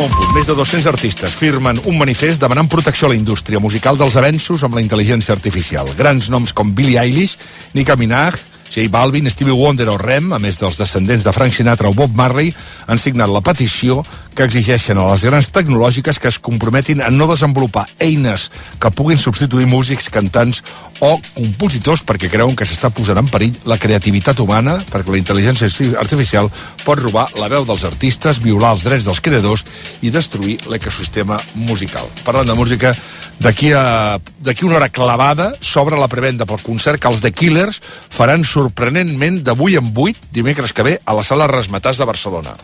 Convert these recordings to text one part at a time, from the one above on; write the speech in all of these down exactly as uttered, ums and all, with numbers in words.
nou en punt. Més de dos-cents artistes firmen un manifest demanant protecció a la indústria musical dels avenços amb la intel·ligència artificial. Grans noms com Billie Eilish, Nicki Minaj, J Balvin, Stevie Wonder o Rem, a més dels descendents de Frank Sinatra o Bob Marley, han signat la petició que exigeixen a les grans tecnològiques que es comprometin a no desenvolupar eines que puguin substituir músics, cantants o compositors, perquè creuen que s'està posant en perill la creativitat humana, perquè la intel·ligència artificial pot robar la veu dels artistes, violar els drets dels creadors i destruir l'ecosistema musical. Parlant de música, d'aquí a d'aquí una hora clavada s'obre la prevenda pel concert que els The Killers faran sorprenentment de vuit en vuit dimecres que ve a la Sala Razzmatazz de Barcelona.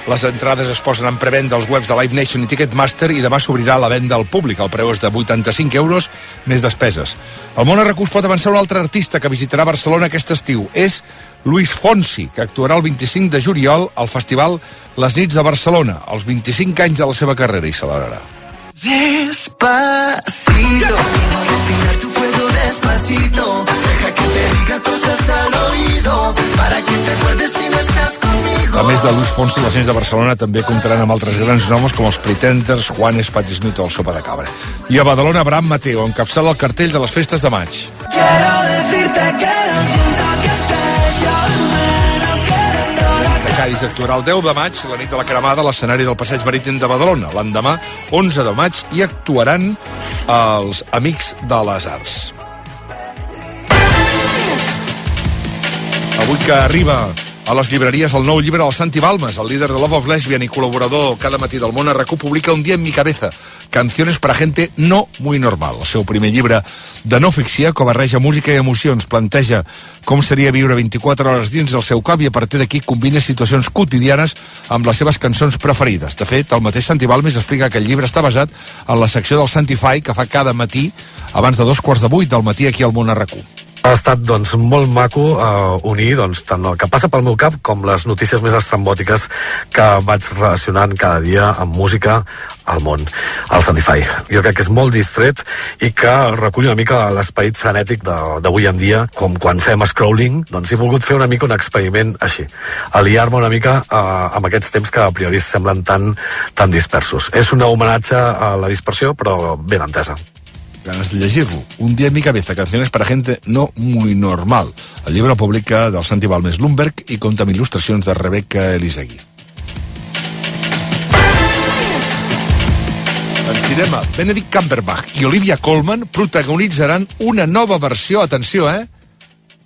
Les entrades es posen en prevenda als webs de Live Nation i Ticketmaster i demà s'obrirà la venda al públic. El preu és de vuitanta-cinc euros més despeses. El món arracús pot avançar un altre artista que visitarà Barcelona aquest estiu. És Luis Fonsi, que actuarà el vint-i-cinc de juliol al festival Les Nits de Barcelona, als vint-i-cinc anys de la seva carrera, i celebrarà. Despacito, respirar tu fuego despacito, deja que te diga cosas al oído, para que te acuerdes si no estás conmigo. A més de Luis Fonsi, les Nits de Barcelona també comptaran amb altres grans noms com els Pretenders, Juanes, Patti Smith o el Sopa de Cabra. I a Badalona, Abraham Mateo encapçala el cartell de les festes de maig. Quiero decirte que no siento que te Cádiz actuarà el deu de maig, la nit de la Cremada, a l'escenari del Passeig Marítim de Badalona. L'endemà, onze de maig, hi actuaran els Amics de les Arts. Avui que arriba a les llibreries el nou llibre del Santi Balmes, el líder de Love of Lesbian i col·laborador cada matí del Món Arracú, publica Un día en mi cabeza, canciones para gente no muy normal. El seu primer llibre de no ficció que barreja música i emocions, planteja com seria viure vint-i-quatre hores dins del seu cap i a partir d'aquí combina situacions quotidianes amb les seves cançons preferides. De fet, el mateix Santi Balmes explica que el llibre està basat en la secció del Santify que fa cada matí abans de dos quarts de vuit del matí aquí al Món Arracú. Ha estat doncs, molt maco eh, unir doncs, tant el que passa pel meu cap com les notícies més estrambòtiques que vaig relacionant cada dia amb música al món, al Santify. Jo crec que és molt distret i que recull una mica l'esperit frenètic d'avui en dia, com quan fem scrolling, doncs he volgut fer una mica un experiment així, aliar-me una mica eh, amb aquests temps que a priori semblen tan, tan dispersos. És un homenatge a la dispersió, però ben entesa. Ganes de llegir-lo. Un día en mi cabeza, canciones para gente no muy normal. El llibre publica del Santi Balmes Lumberg i compta amb il·lustracions de Rebecca Elisegui. En cinema, Benedict Cumberbatch i Olivia Colman protagonitzaran una nova versió, atenció, eh,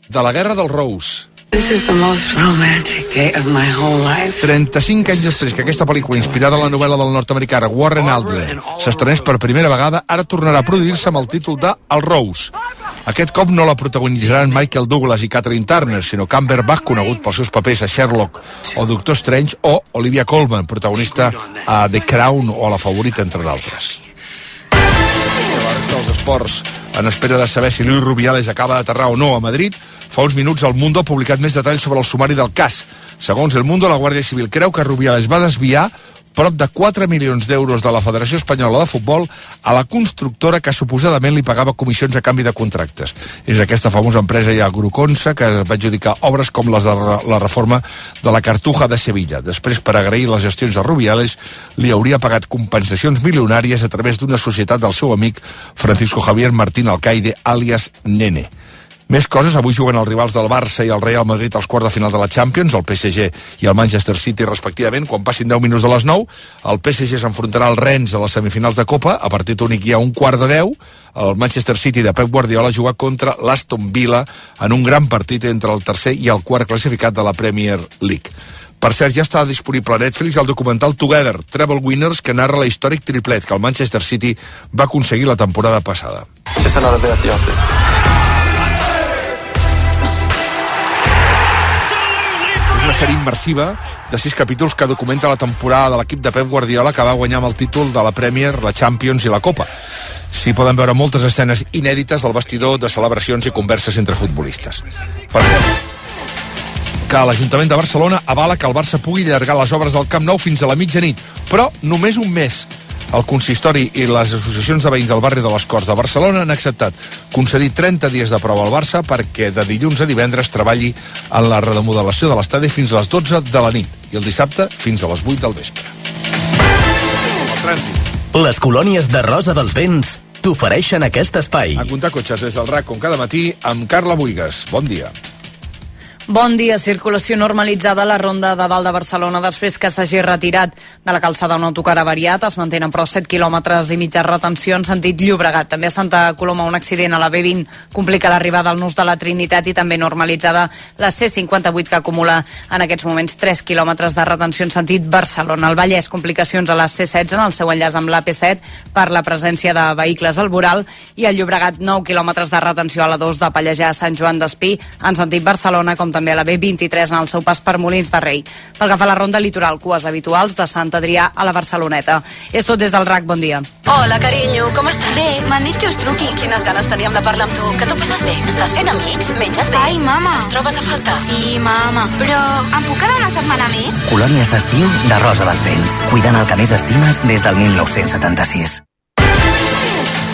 de La guerra del Rose. This is the most romantic day of my whole life. trenta-cinc anys després que aquesta pel·lícula, inspirada en la novel·la del nord-americà Warren Adler, s'estrenés per primera vegada, ara tornarà a produir-se amb el títol de El Rose. Aquest cop no la protagonitzaran Michael Douglas i Catherine Turner, sinó Cumberbatch, conegut pels seus papers a Sherlock o Doctor Strange, o Olivia Colman, protagonista a The Crown o a La favorita, entre d'altres. Els esports, en espera de saber si Luis Rubiales acaba d'aterrar o no a Madrid, fa uns minuts el Mundo ha publicat més detalls sobre el sumari del cas. Segons el Mundo, la Guàrdia Civil creu que Rubiales va desviar prop de quatre milions d'euros de la Federació Espanyola de Futbol a la constructora que suposadament li pagava comissions a canvi de contractes. És aquesta famosa empresa ja Gruconsa que va adjudicar obres com les de la reforma de la Cartuja de Sevilla. Després, per agrair les gestions de Rubiales, li hauria pagat compensacions milionàries a través d'una societat del seu amic Francisco Javier Martín Alcaide, àlies Nene. Més coses, avui juguen els rivals del Barça i el Real Madrid als quarts de final de la Champions, el P S G i el Manchester City respectivament. Quan passin deu minuts de les nou, el P S G s'enfrontarà al Rennes a les semifinals de Copa, a partit únic hi ha un quart de deu, el Manchester City de Pep Guardiola juga contra l'Aston Villa en un gran partit entre el tercer i el quart classificat de la Premier League. Per cert, ja està disponible a Netflix el documental Together, Treble Winners, que narra l'històric triplet que el Manchester City va aconseguir la temporada passada. Just another day at the office. Una sèrie immersiva de sis capítols que documenta la temporada de l'equip de Pep Guardiola que va guanyar amb el títol de la Premier, la Champions i la Copa. S'hi poden veure moltes escenes inèdites del vestidor, de celebracions i converses entre futbolistes. Per que l'Ajuntament de Barcelona avala que el Barça pugui allargar les obres del Camp Nou fins a la mitjanit, però només un mes. El consistori i les associacions de veïns del barri de les Corts de Barcelona han acceptat concedir trenta dies de prova al Barça perquè de dilluns a divendres treballi en la remodelació de l'estadi fins a les dotze de la nit i el dissabte fins a les vuit del vespre. El trànsit. Les colònies de Rosa dels Vents t'ofereixen aquest espai. A comptar cotxes des del R A C com cada matí amb Carla Buigas. Bon dia. Bon dia. Circulació normalitzada a la ronda de dalt de Barcelona després que s'hagi retirat de la calçada un autocar avariat. Es mantenen però set quilòmetres i mitja retenció en sentit Llobregat. També a Santa Coloma un accident a la B vint complica l'arribada al nus de la Trinitat i també normalitzada la C cinquanta-vuit que acumula en aquests moments tres quilòmetres de retenció en sentit Barcelona. Al Vallès complicacions a la C setze en el seu enllaç amb l'A P set per la presència de vehicles al voral i al Llobregat nou quilòmetres de retenció a la dos de Pallejà a Sant Joan d'Espí en sentit Barcelona com també a la B vint-i-tres en el seu pas per Molins de Rei. Pel que fa a la ronda litoral, cues habituals de Sant Adrià a la Barceloneta. És tot des del R A C, bon dia. Hola, carinyo, com estàs? Bé, m'han dit que us truqui. Quines ganes teníem de parlar amb tu. Que t'ho passes bé? Estàs fent amics? Menges bé? Ai, mama. Ens trobes a faltar? Sí, mama. Però em puc quedar una setmana més? Colònies d'estiu de Rosa dels Vents. Cuidant el que més estimes des del mil nou-cents setanta-sis.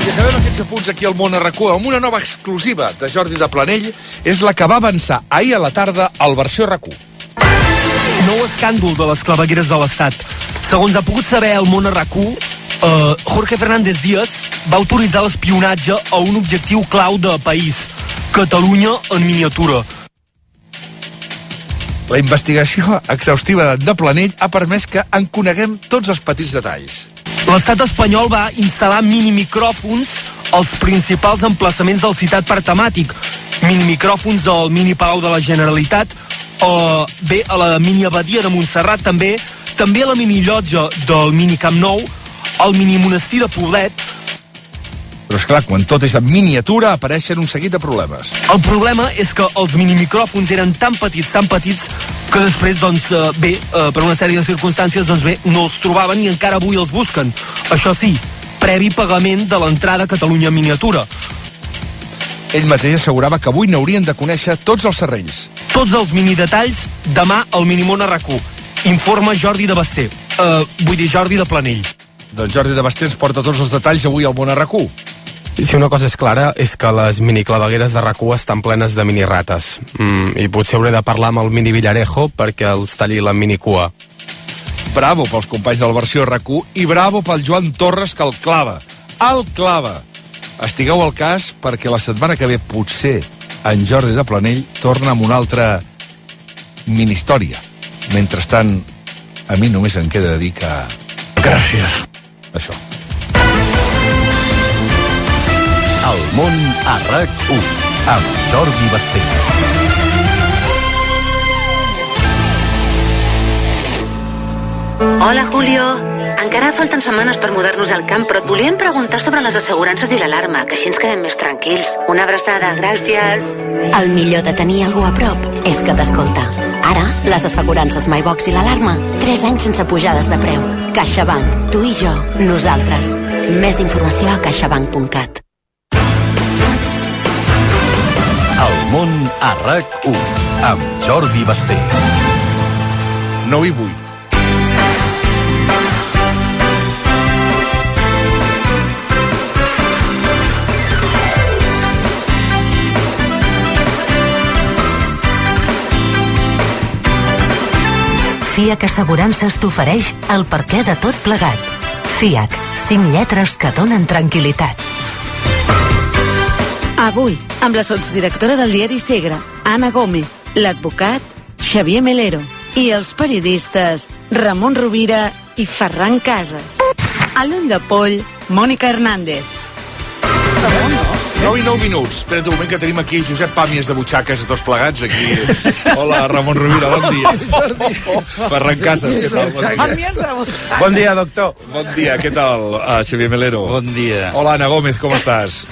I acabem aquests apunts aquí al Món a R A C U amb una nova exclusiva de Jordi de Planell. És la que va avançar ahir a la tarda al versió R A C U. Nou escàndol de les clavegueres de l'Estat. Segons ha pogut saber el Món a R A C U, eh, Jorge Fernández Díaz va autoritzar l'espionatge a un objectiu clau de país, Catalunya en miniatura. La investigació exhaustiva de Planell ha permès que en coneguem tots els petits detalls. L'estat espanyol va instal·lar minimicròfons als principals emplaçaments del citat parc temàtic. Minimicròfons al mini Palau de la Generalitat, o bé a la mini Abadia de Montserrat, també, també a la mini llotja del mini Camp Nou, al mini monestir de Poblet. Però esclar, quan tot és en miniatura apareixen un seguit de problemes. El problema és que els minimicròfons eren tan petits, tan petits, que després, doncs, bé, per una sèrie de circumstàncies, doncs bé, no els trobaven i encara avui els busquen. Això sí, previ pagament de l'entrada a Catalunya en miniatura. Ell mateix assegurava que avui n'haurien de conèixer tots els serrells. Tots els minidetalls, demà al Minimón a R A C U. Informa Jordi de Basté. Uh, vull dir, Jordi de Planell. Doncs Jordi de Basté ens porta tots els detalls avui al Món a R A C U. Si una cosa és clara és que les miniclavegueres de R A C U estan plenes de minirates. Mm, I potser hauré de parlar amb el mini Villarejo perquè els talli la minicua. Bravo pels companys de la versió R A C U i bravo pel Joan Torres que el clava. El clava! Estigueu al cas perquè la setmana que ve potser en Jordi de Planell torna amb una altra mini-història. Mentrestant, a mi només em queda dir que... Gràcies. Això. El Món a R A C U amb Jordi Basté. Hola, Julio. Encara falten setmanes per mudar-nos al camp, però et volíem preguntar sobre les assegurances i l'alarma, que així ens quedem més tranquils. Una abraçada, gràcies. El millor de tenir algú a prop és que t'escolta. Ara, les assegurances MyBox i l'alarma, tres anys sense pujades de preu. CaixaBank, tu i jo, nosaltres. Més informació a caixabank punt cat. El Món a R A C U amb Jordi Basté. nou i vuit. FIAC Assegurances t'ofereix el perquè de tot plegat. FIAC, cinc lletres que donen tranquil·litat. Avui, amb la sotsdirectora del diari Segre, Anna Gómez, l'advocat Xavier Melero i els periodistes Ramon Rovira i Ferran Casas. A l'ull de poll, Mònica Hernández. nou i nou minuts. Espera't un moment que tenim aquí Josep Pàmies de Butxaques a tots plegats aquí. Hola, Ramon Rovira, bon dia. Oh, oh. Ferran Casas, què tal? Bon dia. Bon dia, doctor. Bon dia, què tal, uh, Xavier Melero? Bon dia. Hola, Ana Gómez, com estàs?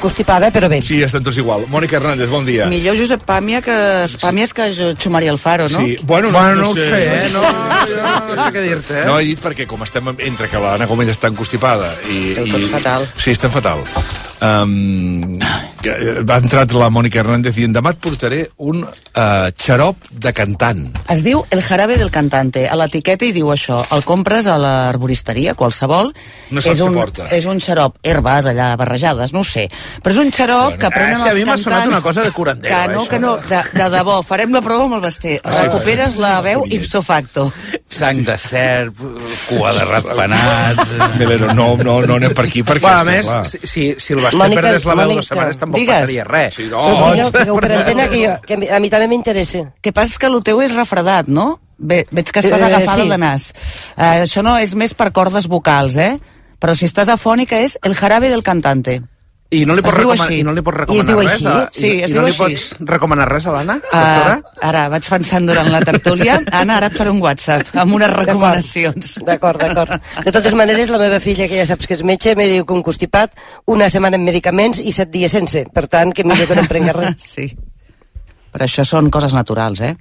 Constipada, però bé. Sí, estem tots igual. Mònica Hernández, bon dia. Millor Josep Pàmia que, Pàmies que Xu Maria Alfaro, no? Sí, bueno, no, bueno, no, no ho sé, sé eh? No, no, no sé què dir-te, eh? No, he dit perquè com estem entre que l'Anna Gómez està constipada i... Esteu tots i, fatal. Sí, estem fatal. Um, va entrar la Mònica Hernández dient demà et portaré un uh, xarop de cantant. Es diu el jarabe del cantante. A l'etiqueta hi diu això. El compres a l'arboristeria, qualsevol. No saps és un, què porta. És un xarop, herbes allà barrejades, no ho sé. Però és un xarop bueno, que prenen els cantants... És que a mi m'ha sonat una cosa de curandero, que no, això. que no, de, de debò. Farem la prova amb el Basté. Ah, Recuperes sí, la veu ipso facto. Sang de serp, cua de ratpenat... Melero, no, no, no anem per aquí, perquè... Bueno, a més, si, si, si el Basté Mònica, perdés la veu Mònica, dues setmanes tampoc digues. passaria res. Sí, no, No, digueu, digueu per antena que, jo, que a mi també m'interessa. Que passa és que el teu és refredat, no? Ve, veig que estàs Eh, agafada sí. de nas. Uh, això no és més per cordes vocals, eh? Però si estàs afònica és el jarabe del cantante. I no li pots, Es diu recomanar, així. i no li pots I es recomanar diu res? així? A, Sí, i, es i diu no li així. pots recomanar res a l'Anna, doctora? Uh, ara, vaig pensant durant la tertúlia. Anna, ara et faré un WhatsApp amb unes recomanacions. D'acord, d'acord. De totes maneres, la meva filla, que ja saps que és metge, me diu que un constipat, una setmana en medicaments i set dies sense. Per tant, que millor que no em prenga res. Sí. Però això són coses naturals, eh?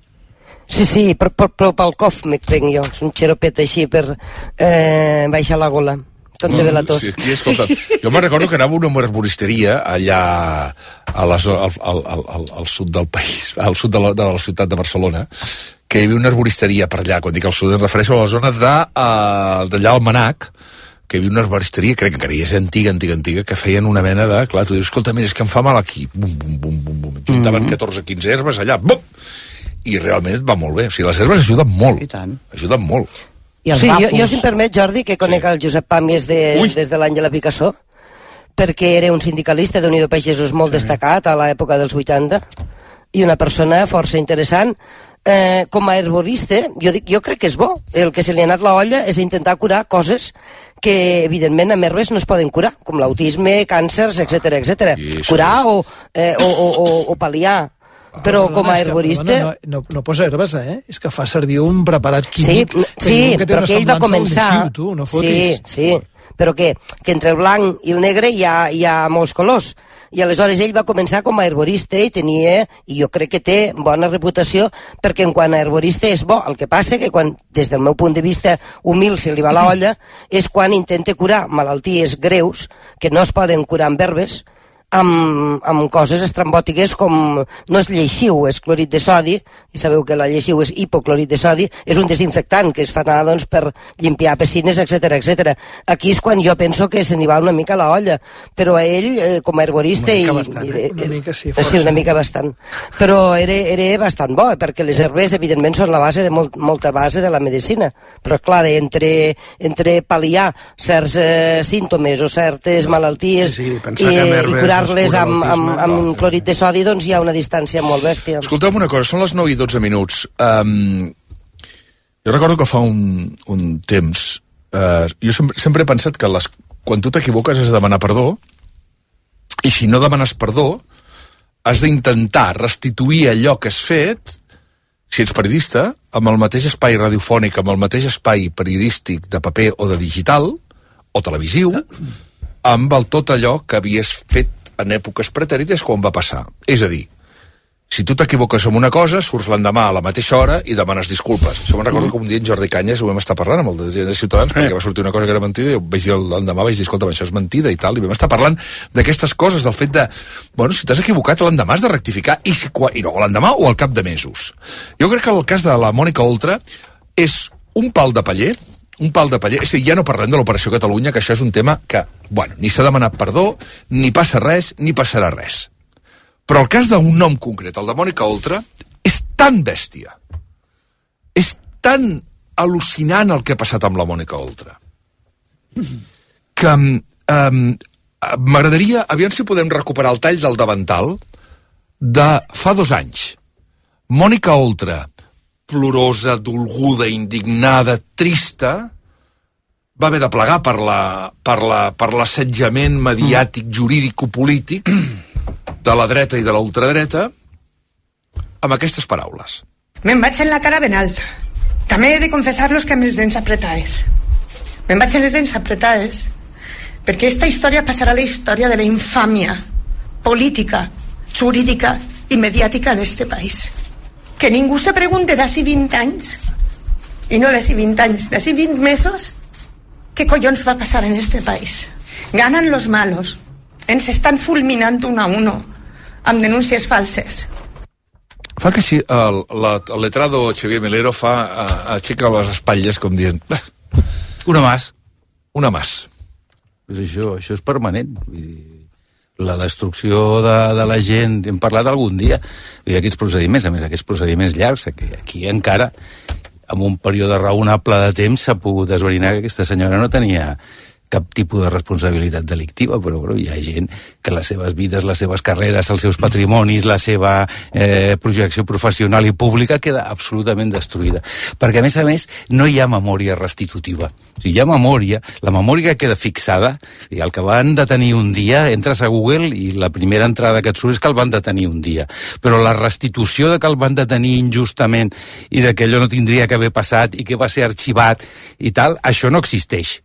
Sí, sí, però, però, però pel cof m'ho prenc jo. És un xeropet així per eh, baixar la gola. Quan te ve la tos. Sí, sí, escolta, jo me'n recordo que anava a una arboristeria allà a la zona, al, al, al, al, al sud del país, al sud de la, de la ciutat de Barcelona, que hi havia una arboristeria per allà. Quan dic al sud em refereixo a la zona de, uh, d'allà al Manac, que hi havia una arboristeria, crec que encara hi és antiga, antiga, antiga, que feien una mena de... Clar, tu dius, escolta, mira, és que em fa mal aquí. Bum, bum, bum, bum, bum. Juntaven mm -hmm. catorze o quinze herbes allà, bum! I realment et va molt bé. O sigui, les herbes ajuden molt. I tant. Ajuden molt. Sí, jo, jo, si em permet, Jordi, que conec sí. el Josep Pàmies de, des de l'any de la Picassó, perquè era un sindicalista d'Unió de Pagesos molt sí. destacat a l'època dels vuitanta, i una persona força interessant. Eh, com a herborista, jo, dic, jo crec que és bo. El que se li ha anat la olla és intentar curar coses que, evidentment, amb herbes no es poden curar, com l'autisme, càncers, etcètera, etcètera. Curar o, eh, o, o, o, o pal·liar. Però com a herborista... No, no, no posa herbes, eh? És que fa servir un preparat químic. Sí, sí, que però que ell va començar... Lleixiu, tu, no fotis. Sí, sí, però que, que entre el blanc i el negre hi ha, hi ha molts colors. I aleshores ell va començar com a herborista i tenia, i jo crec que té bona reputació, perquè en quant a herborista és bo. El que passa que quan, des del meu punt de vista humil, se li va la olla, és quan intenta curar malalties greus que no es poden curar amb herbes, amb, amb coses estrambòtiques com, no és lleixiu, és clorit de sodi, i sabeu que la lleixiu és hipoclorit de sodi, és un desinfectant que es fa anar doncs, per limpiar piscines, etcètera, etcètera. Aquí és quan jo penso que se n'hi va una mica la olla, però a ell, eh, com a herborista... Una mica i, bastant, i, eh? Una mica, sí, força. Sí, una mica bastant. Però era, era bastant bo, perquè les herbes, evidentment, són la base de molt, molta base de la medicina. Però, clar, entre, entre pal·liar certs eh, símptomes o certes malalties sí, sí, i, i curar-les amb, amb, amb clorit de sodi, doncs hi ha una distància molt bèstia. Escolta'm una cosa, són les nou i dotze minuts. Um, jo recordo que fa un, un temps, uh, jo sempre, sempre he pensat que les, quan tu t'equivoques has de demanar perdó, i si no demanes perdó, has d'intentar restituir allò que has fet, si ets periodista, amb el mateix espai radiofònic, amb el mateix espai periodístic de paper o de digital, o televisiu, amb el tot allò que havies fet en èpoques pretèrites quan va passar. És a dir, si tu t'equivoques amb una cosa, surts l'endemà a la mateixa hora i demanes disculpes. Això me'n recordo que un dia en Jordi Canyes ho vam estar parlant amb el de Ciutadans, perquè va sortir una cosa que era mentida, i vaig dir l'endemà, vaig dir, escolta, això és mentida i tal, i vam estar parlant d'aquestes coses, del fet de, bueno, si t'has equivocat l'endemà has de rectificar, i, si, i no l'endemà o al cap de mesos. Jo crec que el cas de la Mònica Oltra és un pal de paller, un pal de paller, és a dir, ja no parlem de l'Operació Catalunya, que això és un tema que, bueno, ni s'ha demanat perdó, ni passa res, ni passarà res. Però el cas d'un nom concret, el de Mònica Oltra, és tan bèstia, és tan al·lucinant el que ha passat amb la Mònica Oltra, que um, m'agradaria, aviam si podem recuperar el tall del davantal de fa dos anys. Mònica Oltra, plorosa, dolguda, indignada, trista, va haver de plegar per la, per la, per l'assetjament mediàtic, jurídico-polític de la dreta i de la ultradreta amb aquestes paraules. Me'n vaig en la cara ben alta. També he de confessar-los que amb les dents apretades. Me'n vaig en les dents apretades perquè esta història passarà a la història de la infàmia política, jurídica i mediàtica d'este país. Que ningú se pregunte d'ací vint anys, i no d'ací vint anys, d'ací vint mesos, què collons va passar en este país. Ganan los malos, ens estan fulminant un a uno. amb denúncies falses. Fa que sí, el, la, el letrado Xavier Melero fa, a, aixeca les espatlles com dient... Una más. Una más. Pues això, això és permanent. Vull dir, la destrucció de, de la gent, hem parlat algun dia, i aquests procediments, a més, aquests procediments llargs, aquí, aquí encara, en un període raonable de temps, s'ha pogut esbrinar que aquesta senyora no tenia cap tipus de responsabilitat delictiva, però, però hi ha gent que les seves vides, les seves carreres, els seus patrimonis, la seva eh, projecció professional i pública queda absolutament destruïda. Perquè, a més a més, no hi ha memòria restitutiva. O sigui, hi ha memòria, la memòria queda fixada, i el que van detenir un dia, entres a Google i la primera entrada que et surt és que el van detenir un dia. Però la restitució de que el van detenir injustament i de que allò no tindria que haver passat i que va ser arxivat i tal, això no existeix.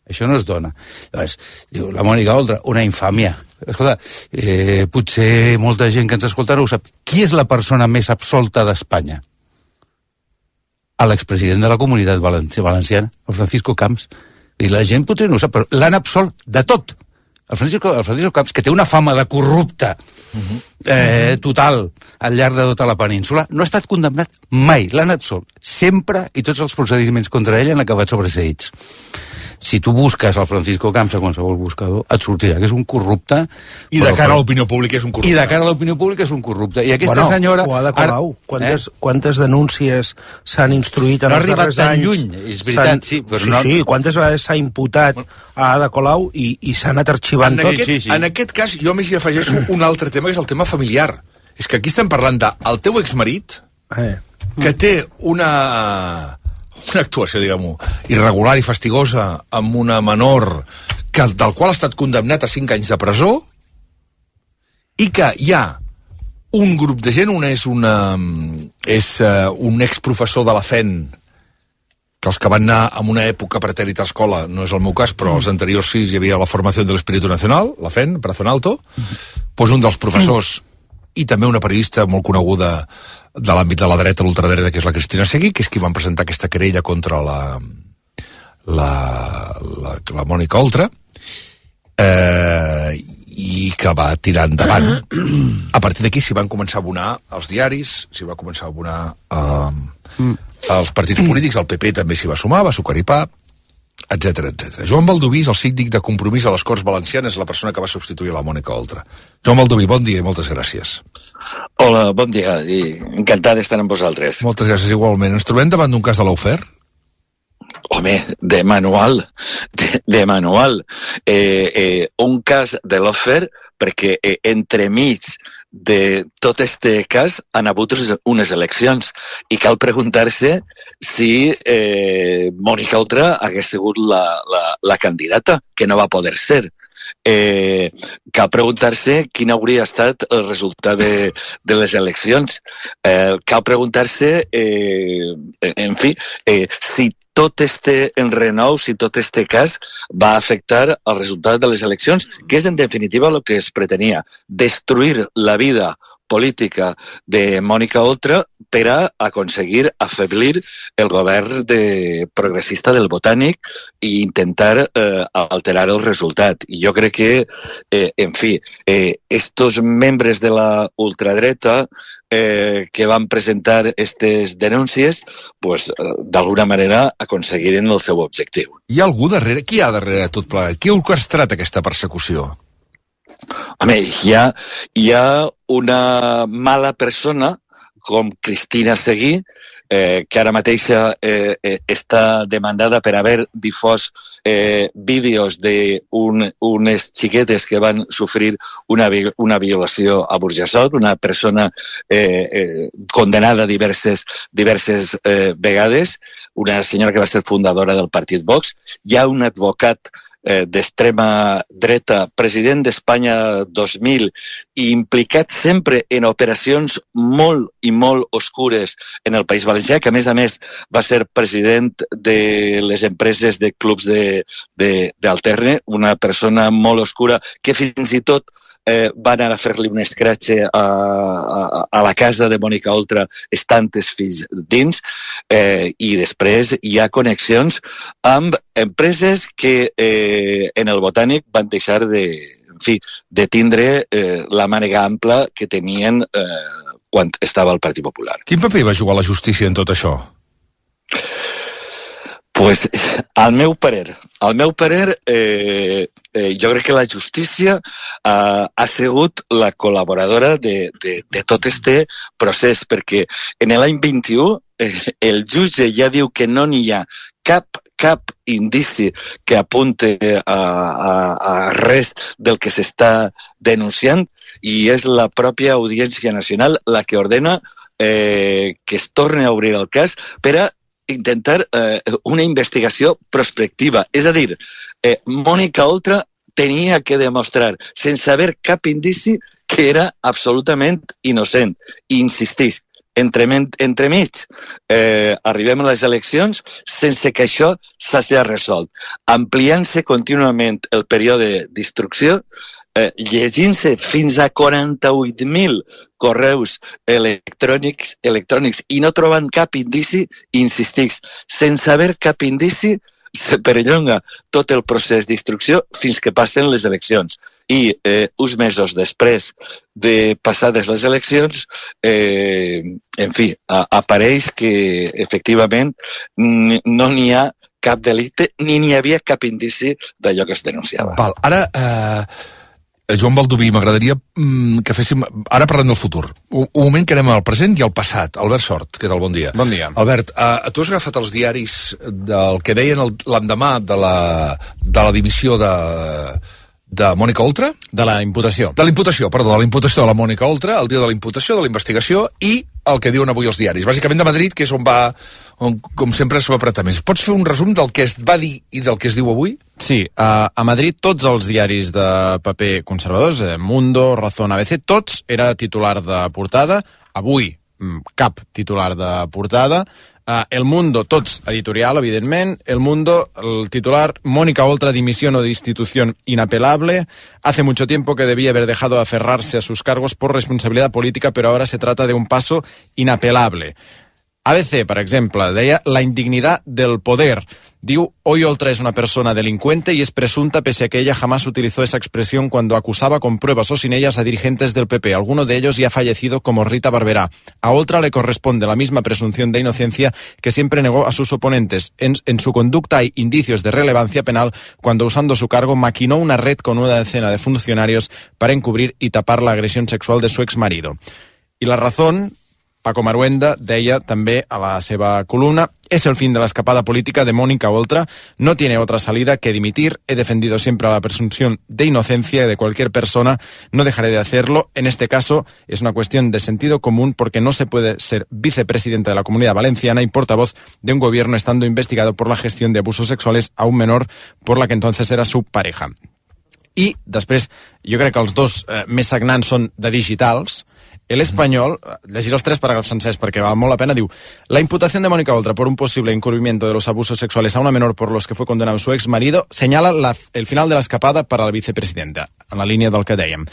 Això no es dona. Llavors, diu, la Mònica Oltra, una infàmia. Escolta, eh, potser molta gent que ens escolta no ho sap. Qui és la persona més absolta d'Espanya? A l'expresident de la Comunitat Valenciana, el Francisco Camps. I la gent potser no ho sap, però l'han absolt de tot. El Francisco, el Francisco Camps, que té una fama de corrupte eh, total al llarg de tota la península, no ha estat condemnat mai. L'han absolt. Sempre, i tots els procediments contra ell han acabat sobreseïts. Si tu busques el Francisco Camps a qualsevol buscador, et sortirà que és un corrupte. I de cara a l'opinió pública és un corrupte. I de cara a l'opinió pública és un corrupte. I aquesta bueno, senyora... o Ada Colau. Ara, quantes, eh? quantes denúncies s'han instruït en no els darrers anys? No ha arribat tan lluny, és veritat, sí. Però sí, no... sí, quantes vegades s'ha imputat a Ada Colau i, i s'ha anat arxivant en tot? Aquest, sí, sí. En aquest cas, jo més hi afegeixo un altre tema, que és el tema familiar. És que aquí estem parlant del teu exmarit, eh. que té una... una actuació, diguem-ho, irregular i fastigosa amb una menor que, del qual ha estat condemnat a cinc anys de presó, i que hi ha un grup de gent, una és, una, és uh, un exprofessor de la F E N, que els que van anar en una època pretèrit a escola, no és el meu cas, però els anteriors sí, hi havia la formació de l'Espíritu Nacional, la F E N, Brazo en Alto, doncs un dels professors i també una periodista molt coneguda de l'àmbit de la dreta, l'ultradreta, que és la Cristina Seguí, que és qui van presentar aquesta querella contra la, la, la, la Mònica Oltra, eh, i que va tirar endavant. A partir d'aquí s'hi van començar a abonar els diaris, s'hi va començar a abonar eh, els partits polítics, el P P també s'hi va sumar, va sucar i pa, etcètera, etcètera. Joan Baldoví és el síndic de Compromís a les Corts Valencianes, la persona que va substituir la Mònica Oltra. Joan Baldoví, bon dia i moltes gràcies. Hola, bon dia, i encantat d'estar amb vosaltres. Moltes gràcies, igualment. Ens trobem davant d'un cas de l'Aufer? Home, de manual, de, de manual. Eh, eh, un cas de l'Aufer, perquè eh, entremig de tot este cas han hagut unes eleccions i cal preguntar-se si eh, Mònica Oltra hagués sigut la, la, la candidata, que no va poder ser. Eh, cal preguntar-se quin hauria estat el resultat de, de les eleccions. Eh, cal preguntar-se, eh, en fi, eh, si tot este enrenou, si tot este cas va afectar el resultat de les eleccions, que és en definitiva el que es pretenia, destruir la vida política de Mònica Oltra per a aconseguir afeblir el govern de progressista del Botànic i intentar eh, alterar el resultat. I jo crec que, eh, en fi, eh, estos membres de la ultradreta eh, que van presentar aquestes denúncies, pues, eh, d'alguna manera aconseguiren el seu objectiu. Hi ha algú darrere? Qui hi ha darrere tot plegat? Qui ha orquestrat aquesta persecució? Home, hi ha, hi ha una mala persona com Cristina Seguí, eh, que ara mateixa eh, eh, està demandada per haver difós eh, vídeos d'unes un, xiquetes que van sofrir una, una violació a Burjassot, una persona eh, eh, condenada diverses, diverses eh, vegades, una senyora que va ser fundadora del partit Vox. Hi ha un advocat eh, d'extrema dreta, president d'Espanya dos mil, i implicat sempre en operacions molt i molt oscures en el País Valencià, que a més a més va ser president de les empreses de clubs d'Alterne, una persona molt oscura que fins i tot Eh, va anar a fer-li un escratxe a, a, a la casa de Mònica Oltra estant els fills dins, eh, i després hi ha connexions amb empreses que eh, en el Botànic van deixar de, en fi, de tindre eh, la mànega ampla que tenien eh, quan estava el Partit Popular. Quin paper va jugar la justícia en tot això? Pues, al meu parer, al meu parer, eh, eh, jo crec que la justícia eh, ha sigut la col·laboradora de, de, de tot este procés, perquè en l'any vint-i-u eh, el jutge ja diu que no n'hi ha cap cap indici que apunte a, a, a res del que s'està denunciant, i és la pròpia Audiència Nacional la que ordena eh, que es torni a obrir el cas per a intentar eh, una investigació prospectiva. És a dir, eh, Mònica Oltra tenia que demostrar, sense haver cap indici, que era absolutament innocent. I insistís, entre, entremig eh, arribem a les eleccions sense que això s'hagi resolt, ampliant-se contínuament el període d'instrucció, eh, llegint-se fins a quaranta-vuit mil correus electrònics, electrònics i no trobant cap indici, insistix, sense haver cap indici, se perllonga tot el procés d'instrucció fins que passen les eleccions. I eh, uns mesos després de passades les eleccions, eh, en fi, a, apareix que efectivament no n'hi ha cap delicte ni n'hi havia cap indici d'allò que es denunciava. Val, ara... Eh... Joan Baldoví, m'agradaria mm, que féssim... Ara parlem del futur. Un, un moment que anem al present i al passat. Albert Sort, què tal? Bon dia. Bon dia. Albert, uh, tu has agafat els diaris del que deien l'endemà de la, de la dimissió de, de Mònica Oltra? De la imputació. De la imputació, perdó, de la imputació de la Mònica Oltra, el dia de la imputació, de la investigació, i el que diuen avui els diaris. Bàsicament de Madrid, que és on va, on, com sempre, es va apretar més. Pots fer un resum del que es va dir i del que es diu avui? Sí, a, a Madrid tots els diaris de paper conservadors, eh, Mundo, Razón, A B C, tots era titular de portada. Avui, cap titular de portada. Uh, El Mundo, tots editorial, evidentment. El Mundo, el titular, Mónica Oltra, dimisión o destitución inapelable. Hace mucho tiempo que debía haber dejado de aferrarse a sus cargos por responsabilidad política, pero ahora se trata de un paso inapelable. A B C, per exemple, deia la indignidad del poder. Diu, hoy Oltra es una persona delincuente y es presunta pese a que ella jamás utilizó esa expresión cuando acusaba con pruebas o sin ellas a dirigentes del P P. Alguno de ellos ya ha fallecido como Rita Barberá. A Oltra le corresponde la misma presunción de inocencia que siempre negó a sus oponentes. En, en su conducta hay indicios de relevancia penal cuando usando su cargo maquinó una red con una decena de funcionarios para encubrir y tapar la agresión sexual de su exmarido. Y La Razón... Paco Maruenda deia també a la seva columna: es el fin de la escapada política de Mónica Oltra, no tiene otra salida que dimitir, he defendido siempre la presunción de inocencia de cualquier persona, no dejaré de hacerlo, en este caso es una cuestión de sentido común porque no se puede ser vicepresidenta de la Comunidad Valenciana y portavoz de un gobierno estando investigado por la gestión de abusos sexuales a un menor por la que entonces era su pareja. I després, jo crec que els dos eh, més sagnants són de digitals. El Español, llegiré los tres parágrafos sencers porque vale molt la pena, diu: la imputación de Mónica Oltra por un posible encubrimiento de los abusos sexuales a una menor por los que fue condenado su ex marido señala la, el final de la escapada para la vicepresidenta, en la línia del que dèiem.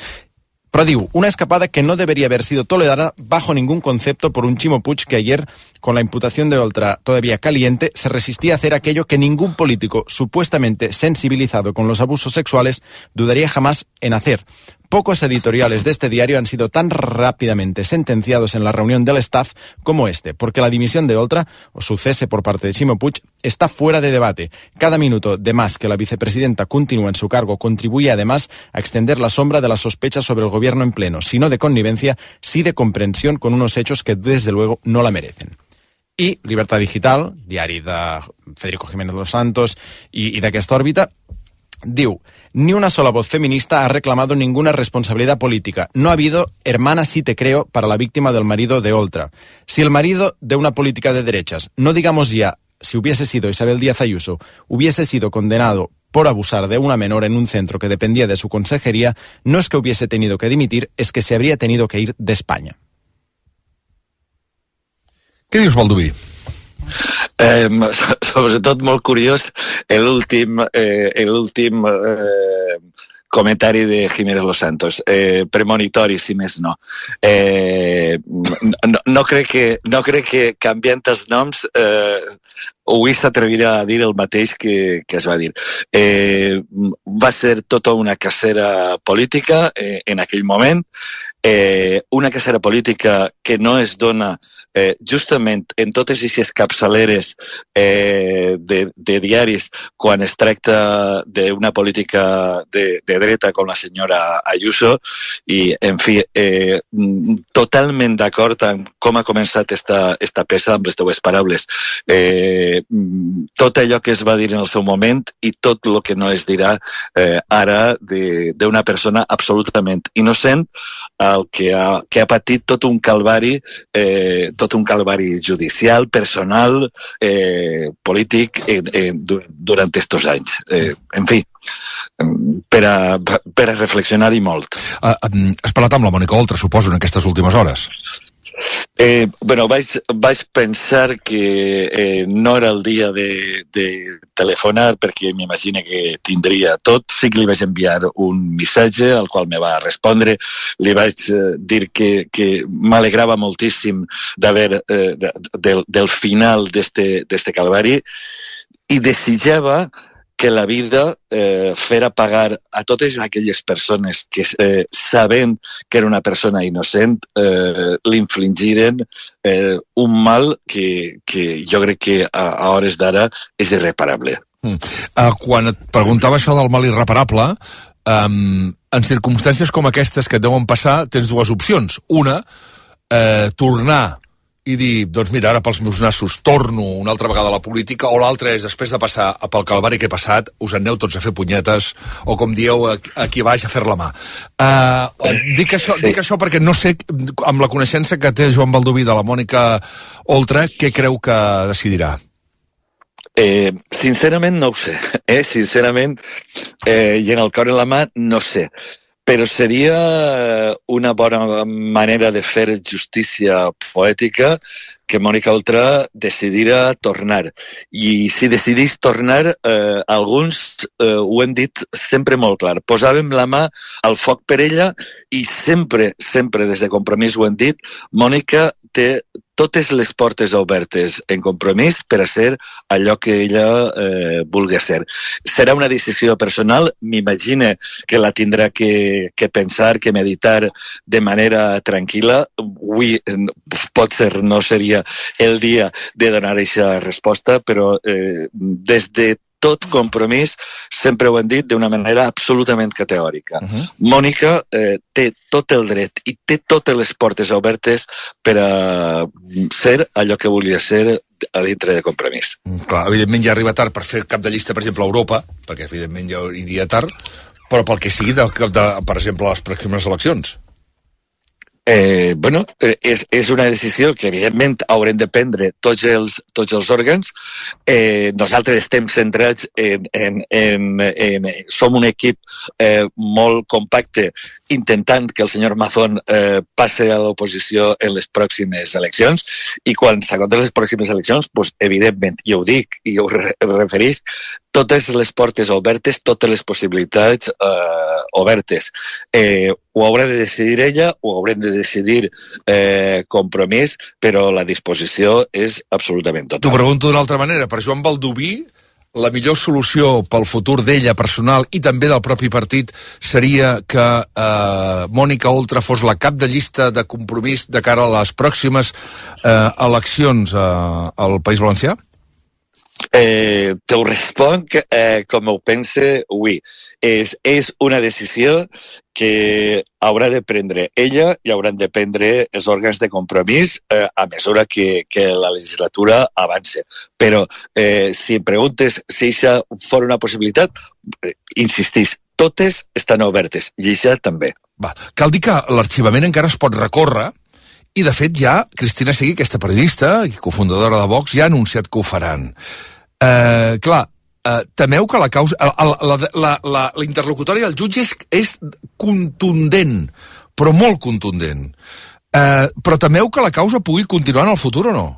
Però diu, una escapada que no debería haber sido tolerada bajo ningún concepto por un Chimo Puig que ayer, con la imputación de Oltra todavía caliente, se resistía a hacer aquello que ningún político supuestamente sensibilizado con los abusos sexuales dudaría jamás en hacer. Pocos editoriales de este diario han sido tan rápidamente sentenciados en la reunión del staff como este, porque la dimisión de Oltra, o su cese por parte de Chimo Puig, está fuera de debate. Cada minuto de más que la vicepresidenta continúa en su cargo contribuye además a extender la sombra de la sospecha sobre el gobierno en pleno, si no de connivencia, sí de comprensión con unos hechos que desde luego no la merecen. I Libertad Digital, diari de Federico Jiménez Los Santos i, i d'aquesta òrbita, diu: ni una sola voz feminista ha reclamado ninguna responsabilidad política. No ha habido hermana sí te creo para la víctima del marido de Oltra. Si el marido de una política de derechas, no digamos ya si hubiese sido Isabel Díaz Ayuso, hubiese sido condenado por abusar de una menor en un centro que dependía de su consejería, no es que hubiese tenido que dimitir, es que se habría tenido que ir de España. Què dius, Baldoví? Eh, sobretot molt curiós l'últim eh, l'últim eh, comentari de Jiménez Los Santos, eh, premonitori si més no. Eh, no, no, crec que, no crec que canviant els noms eh, avui s'atrevirà a dir el mateix que, que es va dir. Eh, va ser tota una cacera política eh, en aquell moment, eh, una cacera política que no es dona eh, justament en totes aquestes capçaleres eh, de, de diaris quan es tracta d'una política de, de dreta com la senyora Ayuso, i, en fi, eh, totalment d'acord amb com ha començat esta, esta peça amb les teues paraules. Eh, tot allò que es va dir en el seu moment i tot el que no es dirà eh, ara d'una persona absolutament innocent, el que ha, que ha patit tot un calvari, eh, tot un calvari judicial, personal, eh, polític eh, eh, durant estos anys. Eh, en fi, per a, per a reflexionar-hi molt. Uh, um, has parlat amb la Mònica Oltra, suposo, en aquestes últimes hores? Eh, bueno, vaig, vaig pensar que eh, no era el dia de, de telefonar perquè m'imagino que tindria tot. Sí que li vaig enviar un missatge al qual me va respondre. Li vaig eh, dir que, que m'alegrava moltíssim d'haver eh, de, del, del final d'este, d'este calvari i desitjava que la vida eh, fera pagar a totes aquelles persones que, eh, sabent que era una persona innocent, eh, l'infligiren eh, un mal que, que jo crec que a, a hores d'ara és irreparable. Mm. Uh, quan et preguntava això del mal irreparable, um, en circumstàncies com aquestes que et deuen passar, tens dues opcions. Una, eh, tornar i dir, doncs mira, ara pels meus nassos torno una altra vegada a la política, o l'altra és, després de passar pel calvari que he passat, us aneu tots a fer punyetes, o com dieu aquí baix, a fer la mà. Uh, dic, això, sí. dic això perquè no sé, amb la coneixença que té Joan Baldoví de la Mònica Oltra, què creu que decidirà? Eh, sincerament no ho sé, eh? sincerament, eh, i en el cor i la mà no sé. Però seria una bona manera de fer justícia poètica que Mònica Oltra decidira tornar. I si decidís tornar, eh, alguns eh, ho hem dit sempre molt clar. Posàvem la mà al foc per ella i sempre, sempre des de Compromís ho hem dit, Mònica té totes les portes obertes en Compromís per a ser allò que ella eh, vulgui ser. Serà una decisió personal, m'imagine que la tindrà que, que pensar, que meditar de manera tranquil·la. Avui pot ser, no seria el dia de donar aquesta resposta, però eh, des de tot Compromís sempre ho hem dit d'una manera absolutament categòrica. Uh-huh. Mònica eh, té tot el dret i té totes les portes obertes per a ser allò que volia ser a dintre de Compromís. Clar, evidentment ja arriba tard per fer cap de llista, per exemple, a Europa, perquè evidentment ja iria tard, però pel que sigui, de, de, per exemple, les pròximes eleccions. Eh, bueno, eh, és, és una decisió que evidentment haurem de prendre tots els, tots els òrgans. Eh, nosaltres estem centrats en, en, en, en som un equip eh, molt compacte intentant que el senyor Mazón eh, passe a l'oposició en les pròximes eleccions, i quan s'acompten les pròximes eleccions, pues, evidentment, i ho dic i ho re referís, totes les portes obertes, totes les possibilitats eh, obertes. Eh, ho haurà de decidir ella, ho haurem de decidir eh, Compromís, però la disposició és absolutament total. T'ho pregunto d'una altra manera. Per Joan Baldoví, la millor solució pel futur d'ella personal i també del propi partit seria que eh, Mònica Oltra fos la cap de llista de Compromís de cara a les pròximes eh, eleccions eh, al País Valencià? Eh, te ho responc eh, com ho pense avui. És, és una decisió que haurà de prendre ella i hauran de prendre els òrgans de Compromís eh, a mesura que, que la legislatura avance. Però eh, si em preguntes si això fos una possibilitat, eh, insistís, totes estan obertes i això també. Va. Cal dir que l'arxivament encara es pot recórrer i, de fet, ja Cristina Seguí, aquesta periodista i cofundadora de Vox, ja ha anunciat que ho faran. Eh, clar, eh, temeu que la causa... La, la, la, la, la interlocutòria del jutge és, és contundent, però molt contundent. Eh, però temeu que la causa pugui continuar en el futur o no?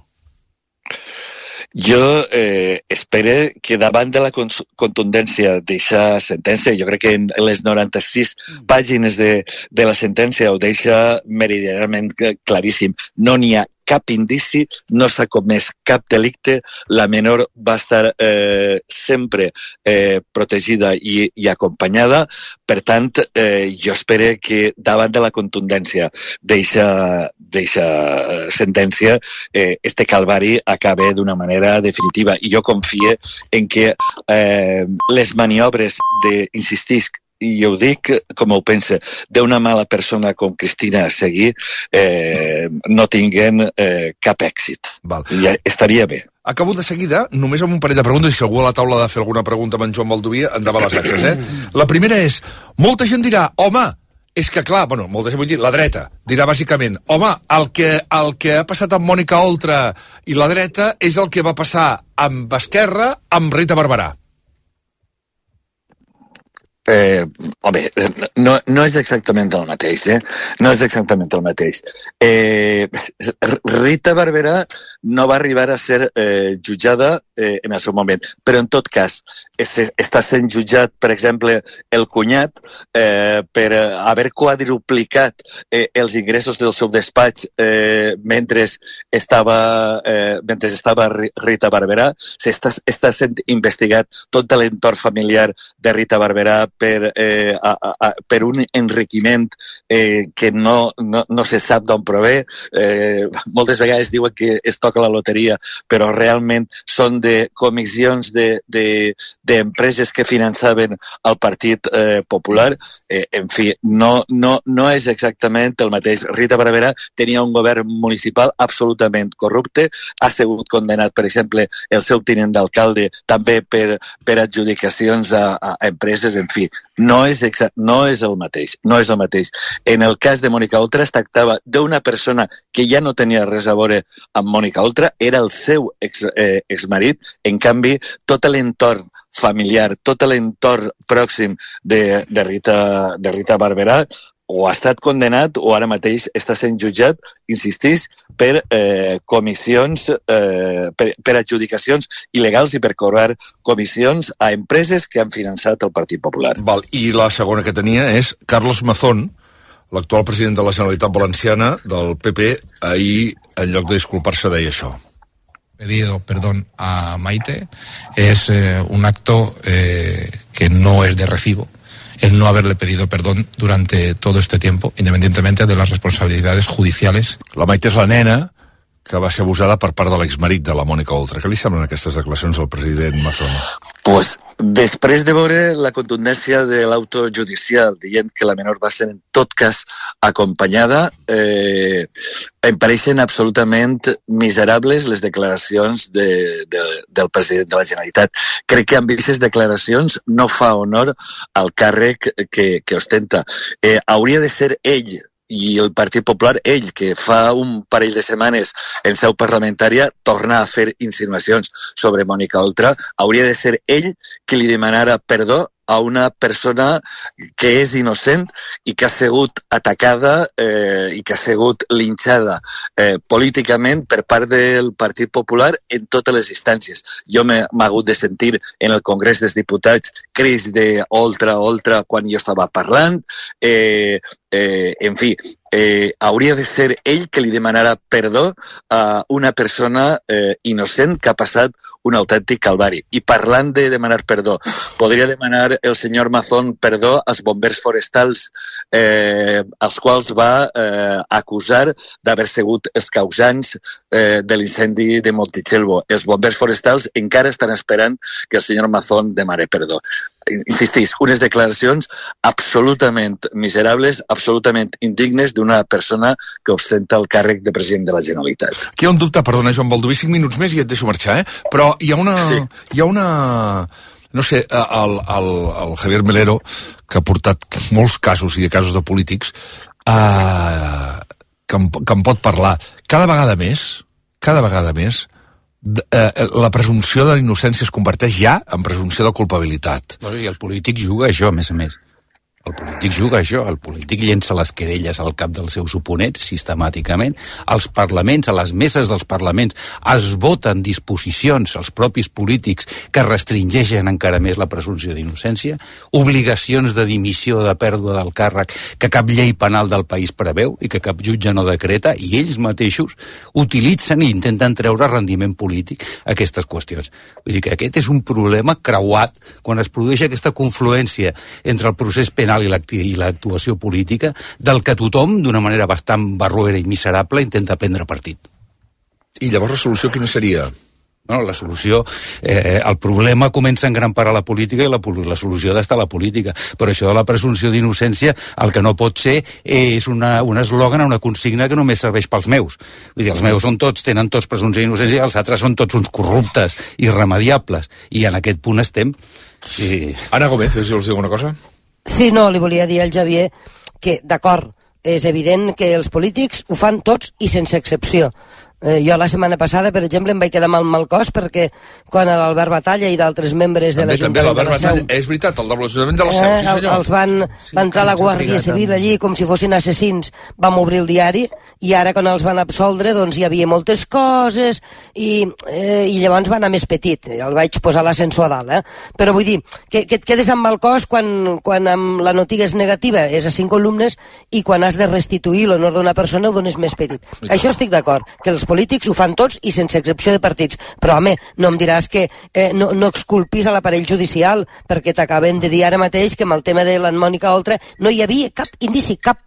Jo eh, espero que davant de la contundència d'aquesta sentència, jo crec que en les noranta-sis pàgines de, de la sentència ho deixa meridianament claríssim, no n'hi ha cap indici, no s'ha comès cap delicte, la menor va estar eh, sempre eh, protegida i, i acompanyada. Per tant, eh, jo espero que davant de la contundència d'eixa sentència, eh, este calvari acabe d'una manera definitiva. I jo confio en que eh, les maniobres de, insistisc, i jo ho dic com ho pensa, d'una mala persona com Cristina Seguí eh, no tinguen eh, cap èxit. Val. Ja estaria bé. Acabo de seguida, només amb un parell de preguntes, i si algú a la taula ha de fer alguna pregunta amb en Joan Baldoví, endavant les atxes, eh? La primera és, molta gent dirà, home, és que clar, bueno, molta gent vull dir, la dreta, dirà bàsicament, home, el que, el que ha passat amb Mònica Oltra i la dreta és el que va passar amb Esquerra, amb Rita Barberà. Eh, home, no, no és exactament el mateix, eh? No és exactament el mateix. Eh, Rita Barberà no va arribar a ser eh, jutjada eh, en el seu moment, però en tot cas es, està sent jutjat, per exemple, el cunyat eh, per haver quadruplicat eh, els ingressos del seu despatx eh, mentre estava, eh, mentre estava Rita Barberà. S'està està sent investigat tot l'entorn familiar de Rita Barberà per, eh, a, a, per un enriquiment eh, que no, no, no se sap d'on prové. Eh, moltes vegades diuen que es toca la loteria, però realment són de comissions d'empreses de, de, que finançaven el Partit eh, Popular. Eh, en fi, no, no, no és exactament el mateix. Rita Barberà tenia un govern municipal absolutament corrupte, ha sigut condemnat, per exemple, el seu tinent d'alcalde també per, per adjudicacions a, a empreses, en fi. No és, exa no és el mateix, no és el mateix. En el cas de Mònica Oltra es tractava d'una persona que ja no tenia res a veure amb Mònica Oltra, era el seu ex, eh, exmarit. En canvi, tot l'entorn familiar, tot l'entorn pròxim de, de, Rita, de Rita Barberà o ha estat condenat o ara mateix està sent jutjat, insistís, per eh, comissions, eh, per, per adjudicacions il·legals i per cobrar comissions a empreses que han finançat el Partit Popular. Val. I la segona que tenia és Carlos Mazón, l'actual president de la Generalitat Valenciana, del P P, ahir, en lloc de disculpar-se, deia això. Pedido perdón a Maite es eh, un acto eh, que no es de recibo. El no haberle pedido perdón durante todo este tiempo, independientemente de las responsabilidades judiciales. La Maite és la nena que va ser abusada per part de l'exmarit de la Mònica Oltra. Què li semblen aquestes declaracions al president Mazón? Pues, després de veure la contundència de l'auto judicial dient que la menor va ser en tot cas acompanyada, eh, em pareixen absolutament miserables les declaracions de, de, del president de la Generalitat. Crec que amb aquestes declaracions no fa honor al càrrec que, que ostenta. Eh, hauria de ser ell i el Partit Popular, ell, que fa un parell de setmanes en seu parlamentària torna a fer insinuacions sobre Mònica Oltra, hauria de ser ell qui li demanara perdó a una persona que és innocent i que ha sigut atacada eh, i que ha sigut linxada eh, políticament per part del Partit Popular en totes les instàncies. Jo m'he hagut de sentir en el Congrés dels Diputats crits de Oltra, Oltra, quan jo estava parlant. Eh, eh, en fi, eh, hauria de ser ell que li demanara perdó a una persona eh, innocent que ha passat un autèntic calvari. I parlant de demanar perdó, podria demanar el senyor Mazón perdó als bombers forestals eh, als quals va eh, acusar d'haver sigut els causants eh, de l'incendi de Montitxelvo. Els bombers forestals encara estan esperant que el senyor Mazón demane perdó. Insistís, unes declaracions absolutament miserables, absolutament indignes d'una persona que ostenta el càrrec de president de la Generalitat. Aquí hi ha un dubte, perdona, Joan Baldoví, cinc minuts més i et deixo marxar, eh? Però hi ha una... Sí. Hi ha una... No sé, el, el, el Javier Melero, que ha portat molts casos i de casos de polítics, eh, que, em, que em pot parlar. Cada vegada més, cada vegada més, Eh, la presumpció de la innocència es converteix ja en presumpció de culpabilitat. I el polític juga a això, a més a més. El polític polític juga això, el polític llença les querelles al cap dels seus oponents sistemàticament, als parlaments, a les meses dels parlaments es voten disposicions als propis polítics que restringeixen encara més la presumpció d'innocència, obligacions de dimissió, de pèrdua del càrrec que cap llei penal del país preveu i que cap jutge no decreta, i ells mateixos utilitzen i intenten treure rendiment polític a aquestes qüestions. Vull dir que aquest és un problema creuat quan es produeix aquesta confluència entre el procés penal i l'actuació política, del que tothom, d'una manera bastant barroera i miserable, intenta prendre partit. I llavors la solució quina seria? Bueno, la solució, eh, el problema comença en gran part a la política i la, la solució ha d'estar a la política. Però això de la presumpció d'innocència, el que no pot ser és una, un eslògan, una consigna que només serveix pels meus. Vull dir, els meus són tots, tenen tots presumpció d'innocència, i els altres són tots uns corruptes, irremediables. I en aquest punt estem. Sí. Ana Gómez, si vols dir alguna cosa? Sí, no, li volia dir al Xavier que, d'acord, és evident que els polítics ho fan tots i sense excepció. Eh, jo la setmana passada, per exemple, em vaig quedar mal mal cos perquè quan l'Albert Batalla i d'altres membres de l'Ajuntament de la Seu... És veritat, el de l'Ajuntament de la Seu, eh, sí senyor. Els van, va entrar la Guàrdia Civil allí com si fossin assassins, vam obrir el diari i ara quan els van absoldre doncs hi havia moltes coses i, eh, i llavors va anar més petit, el vaig posar l'ascensor a dalt, eh? Però vull dir que, que et quedes amb mal cos quan, quan amb la notiga és negativa, és a cinc columnes, i quan has de restituir l'honor d'una persona ho dones més petit. Això estic d'acord, que els polítics ho fan tots i sense excepció de partits, però home, no em diràs que eh, no, no exculpis a l'aparell judicial, perquè t'acaben de dir ara mateix que amb el tema de la Mònica Oltra no hi havia cap indici, cap,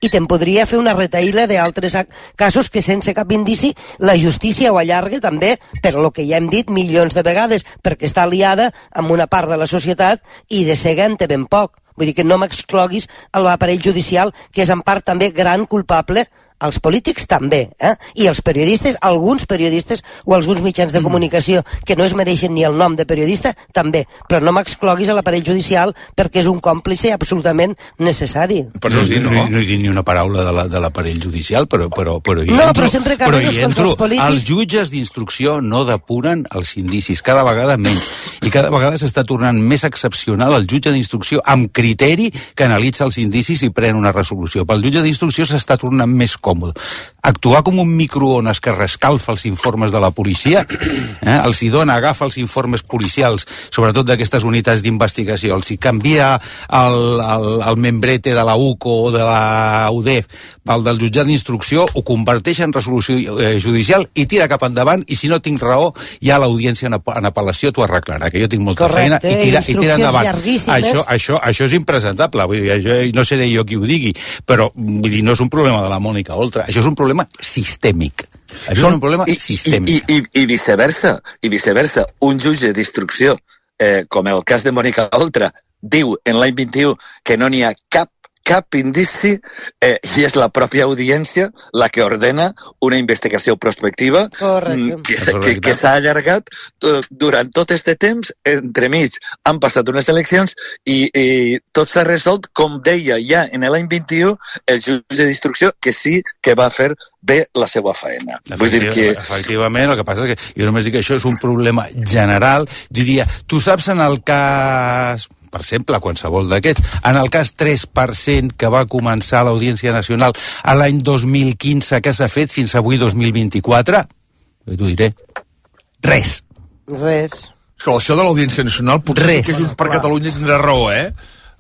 i te'n podria fer una retaïla d'altres casos que sense cap indici la justícia ho allarga també, per lo que ja hem dit milions de vegades, perquè està aliada amb una part de la societat i de cega en té ben poc. Vull dir que no m'excloguis a l'aparell judicial, que és en part també gran culpable. Els polítics també, eh? I els periodistes, alguns periodistes o alguns mitjans de comunicació que no es mereixen ni el nom de periodista, també. Però no m'excloguis a l'aparell judicial perquè és un còmplice absolutament necessari. Però no, no, no, no he dit ni una paraula de l'aparell judicial, però, però, però hi no, entro. Però sempre però hi entro. Els, polítics... els jutges d'instrucció no depuren els indicis, cada vegada menys. I cada vegada s'està tornant més excepcional el jutge d'instrucció amb criteri que analitza els indicis i pren una resolució. Pel jutge d'instrucció s'està tornant més còmode. Actuar com un microones que rescalfa els informes de la policia, eh? els hi dona, agafa els informes policials, sobretot d'aquestes unitats d'investigació, els hi canvia el, el, el membrete de la U C O o de la U D E F pel del jutjat d'instrucció, ho converteix en resolució eh, judicial i tira cap endavant, i si no tinc raó, ja l'audiència en, en apel·lació t'ho arreglarà, que jo tinc molta Correcte, feina, i tira, i tira endavant. Això, això, això és impresentable, vull dir, això, no seré jo qui ho digui, però vull dir, no és un problema de la Mònica Oltra, això és un problema sistèmic. Això Són, és un problema i, sistèmic. I, i, i viceversa, i viceversa. Un jutge d'instrucció, eh, com el cas de Mònica Oltra, diu en l'any vint-i-u que no n'hi ha cap cap indici, eh, i és la pròpia audiència la que ordena una investigació prospectiva Correcte. que, que, que s'ha allargat durant tot este temps. Entremig han passat unes eleccions i, i tot s'ha resolt, com deia ja en l'any vint-i-u el jutge d'instrucció, que sí que va fer bé la seva feina. Vull dir que... Efectivament, el que passa és que jo només dic que això és un problema general. Diria, tu saps en el cas... per exemple, qualsevol d'aquests. En el cas tres per cent que va començar l'Audiència Nacional a l'any dos mil quinze, que s'ha fet fins avui dos mil vint-i-quatre? Jo t'ho diré. Res. Res. És que això de l'Audiència Nacional potser Res. sí que Junts per Catalunya tindrà raó, eh?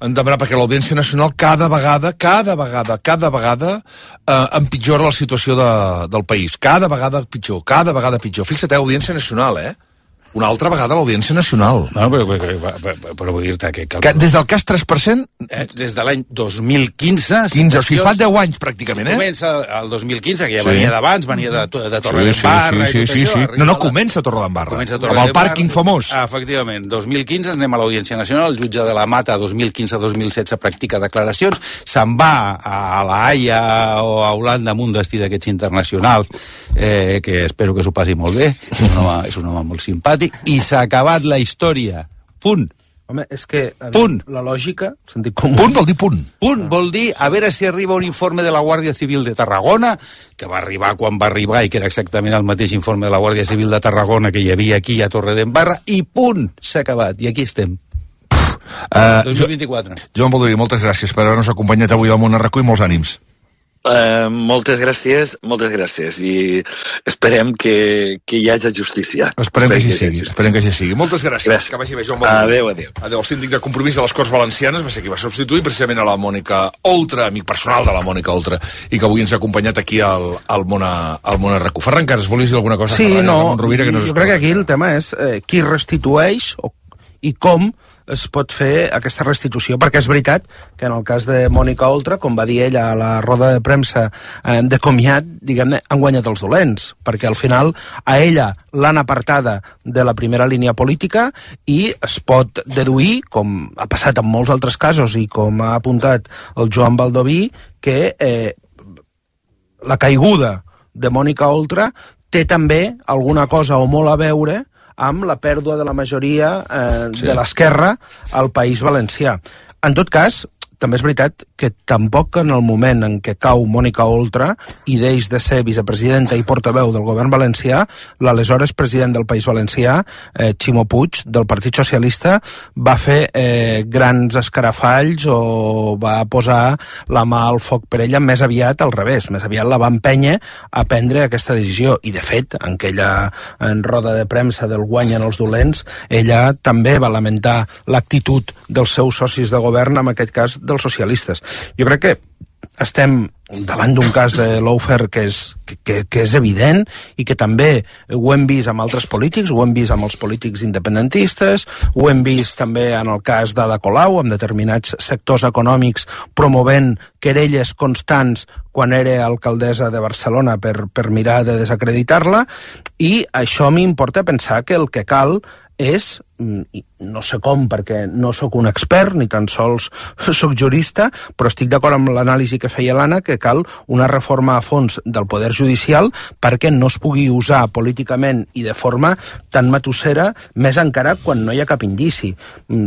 En demanar, perquè l'Audiència Nacional cada vegada, cada vegada, cada vegada eh, empitjora la situació de, del país. Cada vegada pitjor, cada vegada pitjor. Fixa't, eh, Audiència Nacional, eh? Una altra vegada l'Audiència Nacional. No, però, però, però, però vull dir-te que... que des del cas tres per cent... Eh, des de l'any dos mil quinze... quinze, o sigui, fa deu anys, pràcticament, eh? Comença el dos mil quinze, que ja sí. venia d'abans, venia de, de Torredembarra... Sí, sí, sí, sí, sí, sí. No, no, comença a Torredembarra. Comença a Torredembarra. Amb el pàrquing famós. Efectivament, dos mil quinze anem a l'Audiència Nacional, el jutge de la Mata, dos mil quinze dos mil setze, practica declaracions, se'n va a la Haia o a Holanda amb un destí d'aquests internacionals, eh, que espero que s'ho passi molt bé, és un home, és un home molt simpàtic, i s'ha acabat la història. Punt. Home, és que punt. La lògica, sentit com... Punt vol dir punt. Punt vol dir, a veure si arriba un informe de la Guàrdia Civil de Tarragona, que va arribar quan va arribar i que era exactament el mateix informe de la Guàrdia Civil de Tarragona que hi havia aquí a Torredembarra, i punt, s'ha acabat, i aquí estem. Uh, dos mil vint-i-quatre. Joan Baldoví, moltes gràcies per haver-nos acompanyat avui al Món a RAC u i molts ànims. Uh, moltes gràcies, moltes gràcies, i esperem que, que hi hagi justícia. Esperem, esperem que així sigui, esperem que així sigui. Moltes gràcies. gràcies. Que vagi bé, Joan Baldoví. Adéu, adéu. Adéu. El síndic de Compromís de les Corts Valencianes va ser qui va substituir precisament a la Mònica Oltra, amic personal de la Mònica Oltra, i que avui ens ha acompanyat aquí al, al Món a, al Món a RAC u. Ferran Casas, volies dir alguna cosa? Sí, Ferran, no, Rovira, que no jo crec que aquí el tema és eh, qui restitueix o, i com es pot fer aquesta restitució, perquè és veritat que en el cas de Mònica Oltra, com va dir ella a la roda de premsa eh, de comiat, diguem-ne, han guanyat els dolents, perquè al final a ella l'han apartada de la primera línia política i es pot deduir, com ha passat en molts altres casos i com ha apuntat el Joan Baldoví, que eh, la caiguda de Mònica Oltra té també alguna cosa o molt a veure amb la pèrdua de la majoria eh, sí. de l'esquerra al País Valencià. En tot cas, també és veritat que tampoc en el moment en què cau Mònica Oltra i deix de ser vicepresidenta i portaveu del govern valencià, l'aleshores president del País Valencià, eh, Ximo Puig, del Partit Socialista, va fer eh, grans escarafalls o va posar la mà al foc per ella, més aviat al revés, més aviat la va empènyer a prendre aquesta decisió. I, de fet, en aquella en roda de premsa del guany en els dolents, ella també va lamentar l'actitud dels seus socis de govern, en aquest cas dels socialistes. Jo crec que estem davant d'un cas de lawfare que és, que, que és evident i que també ho hem vist amb altres polítics, ho hem vist amb els polítics independentistes, ho hem vist també en el cas d'Ada Colau, amb determinats sectors econòmics promovent querelles constants quan era alcaldessa de Barcelona per, per mirar de desacreditar-la, i això m'importa pensar que el que cal és, no sé com perquè no sóc un expert ni tan sols sóc jurista, però estic d'acord amb l'anàlisi que feia l'Anna, que cal una reforma a fons del poder judicial perquè no es pugui usar políticament i de forma tan matussera, més encara quan no hi ha cap indici.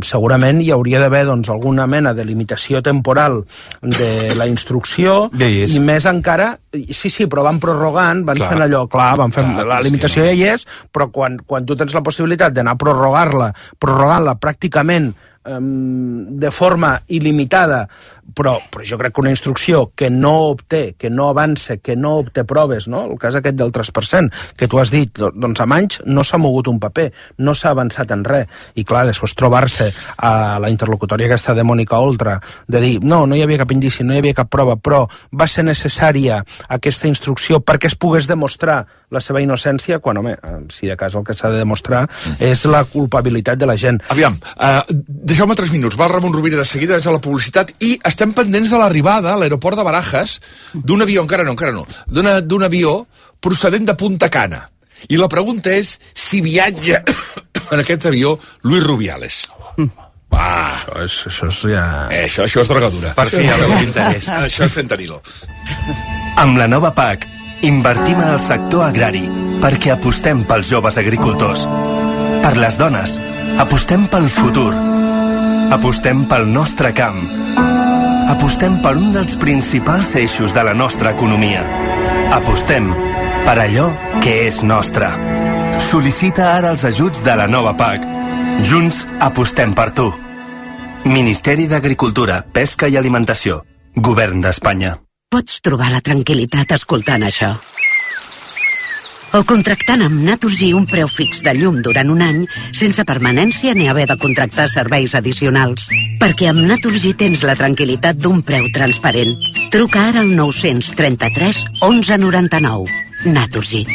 Segurament hi hauria d'haver doncs, alguna mena de limitació temporal de la instrucció i més encara, sí, sí, però van prorrogant, van clar. fent allò, clar, van fent, clar, la limitació ja hi és, però quan, quan tu tens la possibilitat d'anar a prorrogar-la, prorrogant-la pràcticament um, de forma il·limitada, però, però jo crec que una instrucció que no obté, que no avança, que no obté proves, no? El cas aquest del tres per cent, que tu has dit, doncs amb anys no s'ha mogut un paper, no s'ha avançat en res, i clar, després trobar-se a la interlocutòria aquesta de Mònica Oltra, de dir, no, no hi havia cap indici, no hi havia cap prova, però va ser necessària aquesta instrucció perquè es pogués demostrar la seva innocència, quan, home, si de cas el que s'ha de demostrar és la culpabilitat de la gent. Aviam, uh, deixeu-me tres minuts, va el Ramon Rovira de seguida, és a la publicitat, i estem pendents de l'arribada a l'aeroport de Barajas d'un avió, encara no, encara no, d'un avió procedent de Punta Cana. I la pregunta és si viatja en aquest avió Luis Rubiales. Ah, això és, això és ja... Eh, això, això és drogadura. Per fi, amb l'interès. Això és fentanilo. Amb la nova P A C, invertim en el sector agrari perquè apostem pels joves agricultors. Per les dones, apostem pel futur. Apostem pel nostre camp. Apostem per un dels principals eixos de la nostra economia. Apostem per allò que és nostre. Sol·licita ara els ajuts de la nova P A C. Junts apostem per tu. Ministeri d'Agricultura, Pesca i Alimentació. Govern d'Espanya. Pots trobar la tranquil·litat escoltant això. O contractant amb Naturgy un preu fix de llum durant un any sense permanència ni haver de contractar serveis addicionals. Perquè amb Naturgy tens la tranquil·litat d'un preu transparent. Truca ara al nou-cents trenta-tres onze noranta-nou. Naturgy.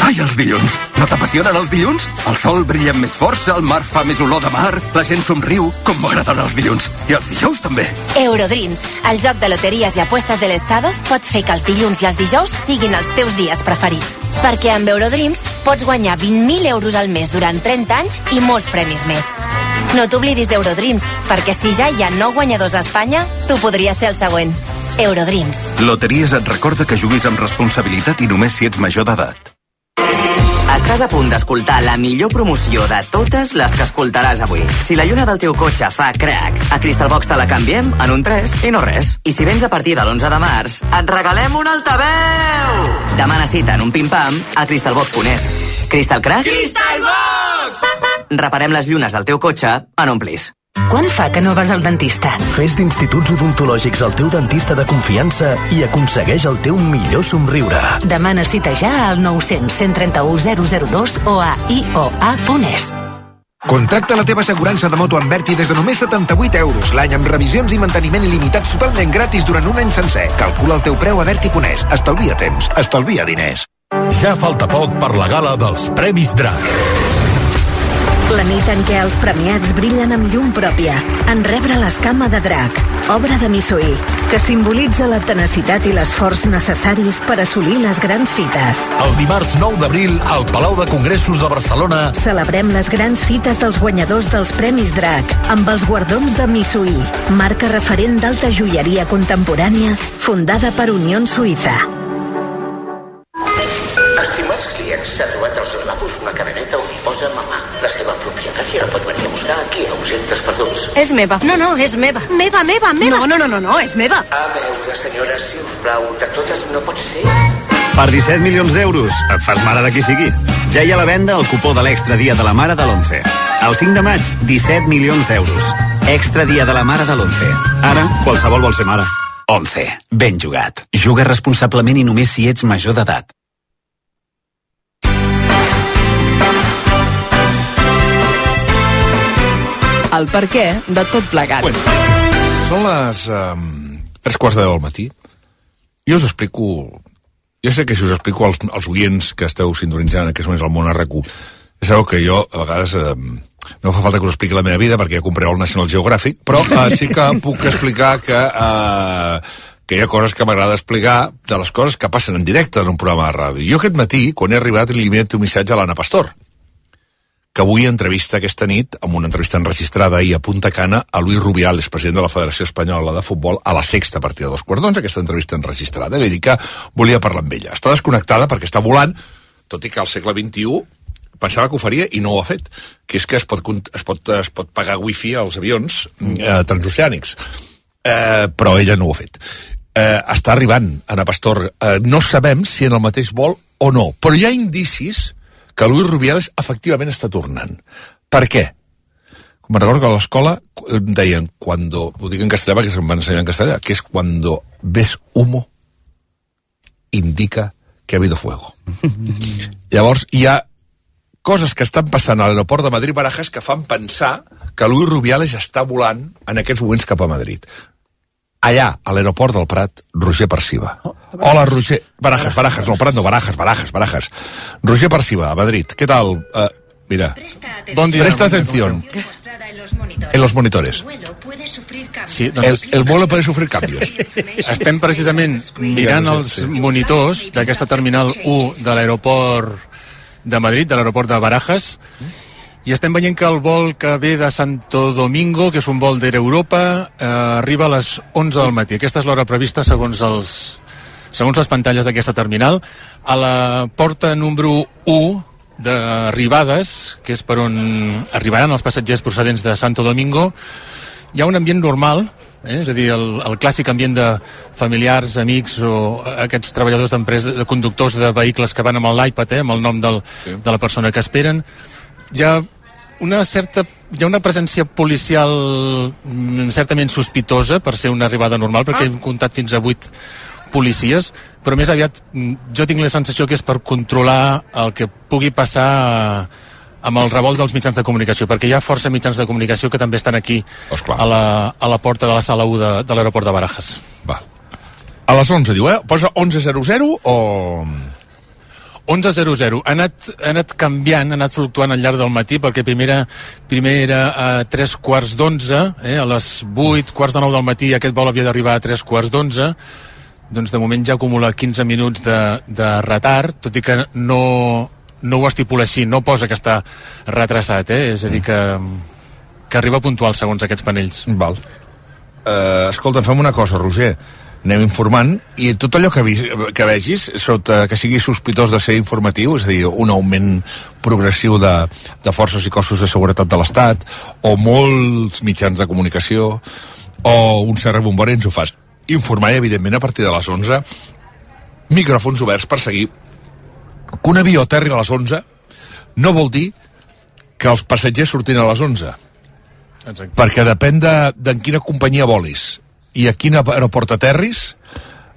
Ai, els dilluns! No t'apassionen els dilluns? El sol brilla amb més força, el mar fa més olor de mar, la gent somriu, com m'agraden els dilluns. I els dijous també. Eurodreams, el joc de loteries i apuestes de l'Estado, pot fer que els dilluns i els dijous siguin els teus dies preferits. Perquè amb Eurodreams pots guanyar vint mil euros al mes durant trenta anys i molts premis més. No t'oblidis d'Eurodreams, perquè si ja hi ha nou guanyadors a Espanya, tu podries ser el següent. Eurodreams. Loteries et recorda que juguis amb responsabilitat i només si ets major d'edat. Estàs a punt d'escoltar la millor promoció de totes les que escoltaràs avui. Si la lluna del teu cotxe fa crac, a Crystal Box te la canviem en un tres i no res. I si vens a partir de l'onze de març, et regalem un altaveu! Demana cita en un pim-pam a crystal box punt es. Crystal Crack? Crystal Box! Reparem les llunes del teu cotxe en un plis. Quan fa que no vas al dentista? Fes d'Instituts Odontològics el teu dentista de confiança i aconsegueix el teu millor somriure. Demana cita ja al nou cents, cent trenta-u, zero zero dos o a i o a punt es. Contracta la teva assegurança de moto amb Berti des de només setanta-vuit euros l'any amb revisions i manteniment il·limitats totalment gratis durant un any sencer. Calcula el teu preu a Berti punt es. Estalvia temps, estalvia diners. Ja falta poc per la gala dels Premis Drac. La nit en què els premiats brillen amb llum pròpia, en rebre l'escama de drac, obra de Missoí, que simbolitza la tenacitat i l'esforç necessaris per assolir les grans fites. El dimarts nou d'abril, al Palau de Congressos de Barcelona, Celebrem les grans fites dels guanyadors dels Premis Drac, amb els guardons de Missoí, marca referent d'alta joieria contemporània, fundada per Unió Suïssa. Estimats clients, s'ha trobat als lavabos una cadeneta on hi posa mamà. La seva propietària la pot venir a buscar aquí a objectes perduts. És meva. No, no, és meva. Meva, meva, meva. No, no, no, no, no, és meva. A veure, senyora, si us plau, de totes no pot ser. Per disset milions d'euros, et fas mare de qui sigui. Ja hi ha a la venda el cupó de l'Extra Dia de la Mare de l'onze. El cinc de maig, disset milions d'euros. Extra Dia de la Mare de l'onze. Ara, qualsevol vol ser mare. onze. Ben jugat. Juga responsablement i només si ets major d'edat. El per què de tot plegat. Bueno, són les um, tres quarts de deu del matí. Jo us explico... Jo sé que si us explico als, als oients que esteu sintonitzant en aquests moments al món R Q, ja sabeu que jo, a vegades, um, no fa falta que us expliqui la meva vida perquè ja compreu el National Geographic, però uh, sí que puc explicar que, uh, que hi ha coses que m'agrada explicar de les coses que passen en directe en un programa de ràdio. Jo aquest matí, quan he arribat, li he enviat un missatge a l'Anna Pastor, que avui entrevista aquesta nit, amb una entrevista enregistrada ahir a Punta Cana, a Luis Rubiales, president de la Federació Espanyola de Futbol, a la Sexta, a partir de dos quarts d'onze, aquesta entrevista enregistrada. I li dic que volia parlar amb ella. Està desconnectada perquè està volant, tot i que al segle vint-i-u pensava que ho faria i no ho ha fet, que és que es pot, es pot, es pot pagar wifi als avions eh, transoceànics. Eh, però ella no ho ha fet. Eh, està arribant, Anna Pastor. Eh, no sabem si en el mateix vol o no, però hi ha indicis que Luis Rubiales efectivament està tornant. Per què? Me'n recordo que a l'escola deien, cuando, ho dic en castellà perquè se'm van ensenyar en castellà, que és cuando ves humo, indica que ha habido fuego. Llavors, hi ha coses que estan passant a l'aeroport de Madrid-Barajas que fan pensar que Luis Rubiales està volant en aquests moments cap a Madrid. Allà, a l'aeroport del Prat, Roger Perciba. Oh, Hola, Roger. Barajas, Barajas, no, Prat no, Barajas, Barajas, Barajas. Roger Perciba, a Madrid. ¿Qué tal? Uh, mira. Bon dia. Presta atención. En los monitores. Sí, doncs... el, el vuelo puede sufrir cambios. Estem precisament mirant els monitors d'aquesta terminal u de l'aeroport de Madrid, de l'aeroport de Barajas, i estem veient que el vol que ve de Santo Domingo, que és un vol d'Air Europa, eh, arriba a les onze del matí. Aquesta és l'hora prevista segons els segons les pantalles d'aquesta terminal. A la porta número u d'arribades, que és per on arribaran els passatgers procedents de Santo Domingo, hi ha un ambient normal, eh? És a dir, el, el clàssic ambient de familiars, amics o aquests treballadors d'empreses, de conductors de vehicles que van amb l'iPad, eh? Amb el nom del, sí. de la persona que esperen. Hi ha una certa hi ha una presència policial certament sospitosa per ser una arribada normal, perquè ah. hem comptat fins a vuit policies, però més aviat jo tinc la sensació que és per controlar el que pugui passar amb el revolt dels mitjans de comunicació, perquè hi ha força mitjans de comunicació que també estan aquí a la, a la porta de la sala u de, de l'aeroport de Barajas. Va. A les onze, diu, eh? Posa onze zero zero o... onze zero zero. Ha anat, ha anat canviant, ha anat fluctuant al llarg del matí, perquè primera, primer era a tres quarts d'onze, eh, a les vuit, quarts de nou del matí, aquest vol havia d'arribar a tres quarts d'onze, doncs de moment ja acumula quinze minuts de, de retard, tot i que no, no ho estipula així, no posa que està retrasat, eh? És a dir, que, que arriba puntual segons aquests panells. Val. Uh, escolta, fem una cosa, Roger. Anem informant, i tot allò que, vi, que vegis, sota que sigui sospitós de ser informatiu, és a dir, un augment progressiu de, de forces i cossos de seguretat de l'Estat, o molts mitjans de comunicació, o un cert rebombori, ens ho fas informar, i evidentment a partir de les onze micròfons oberts per seguir. Que un avió aterri a les onze no vol dir que els passatgers surtin a les onze. Exacte. Perquè depèn de, de en quina companyia volis i a quin aeroport aterris,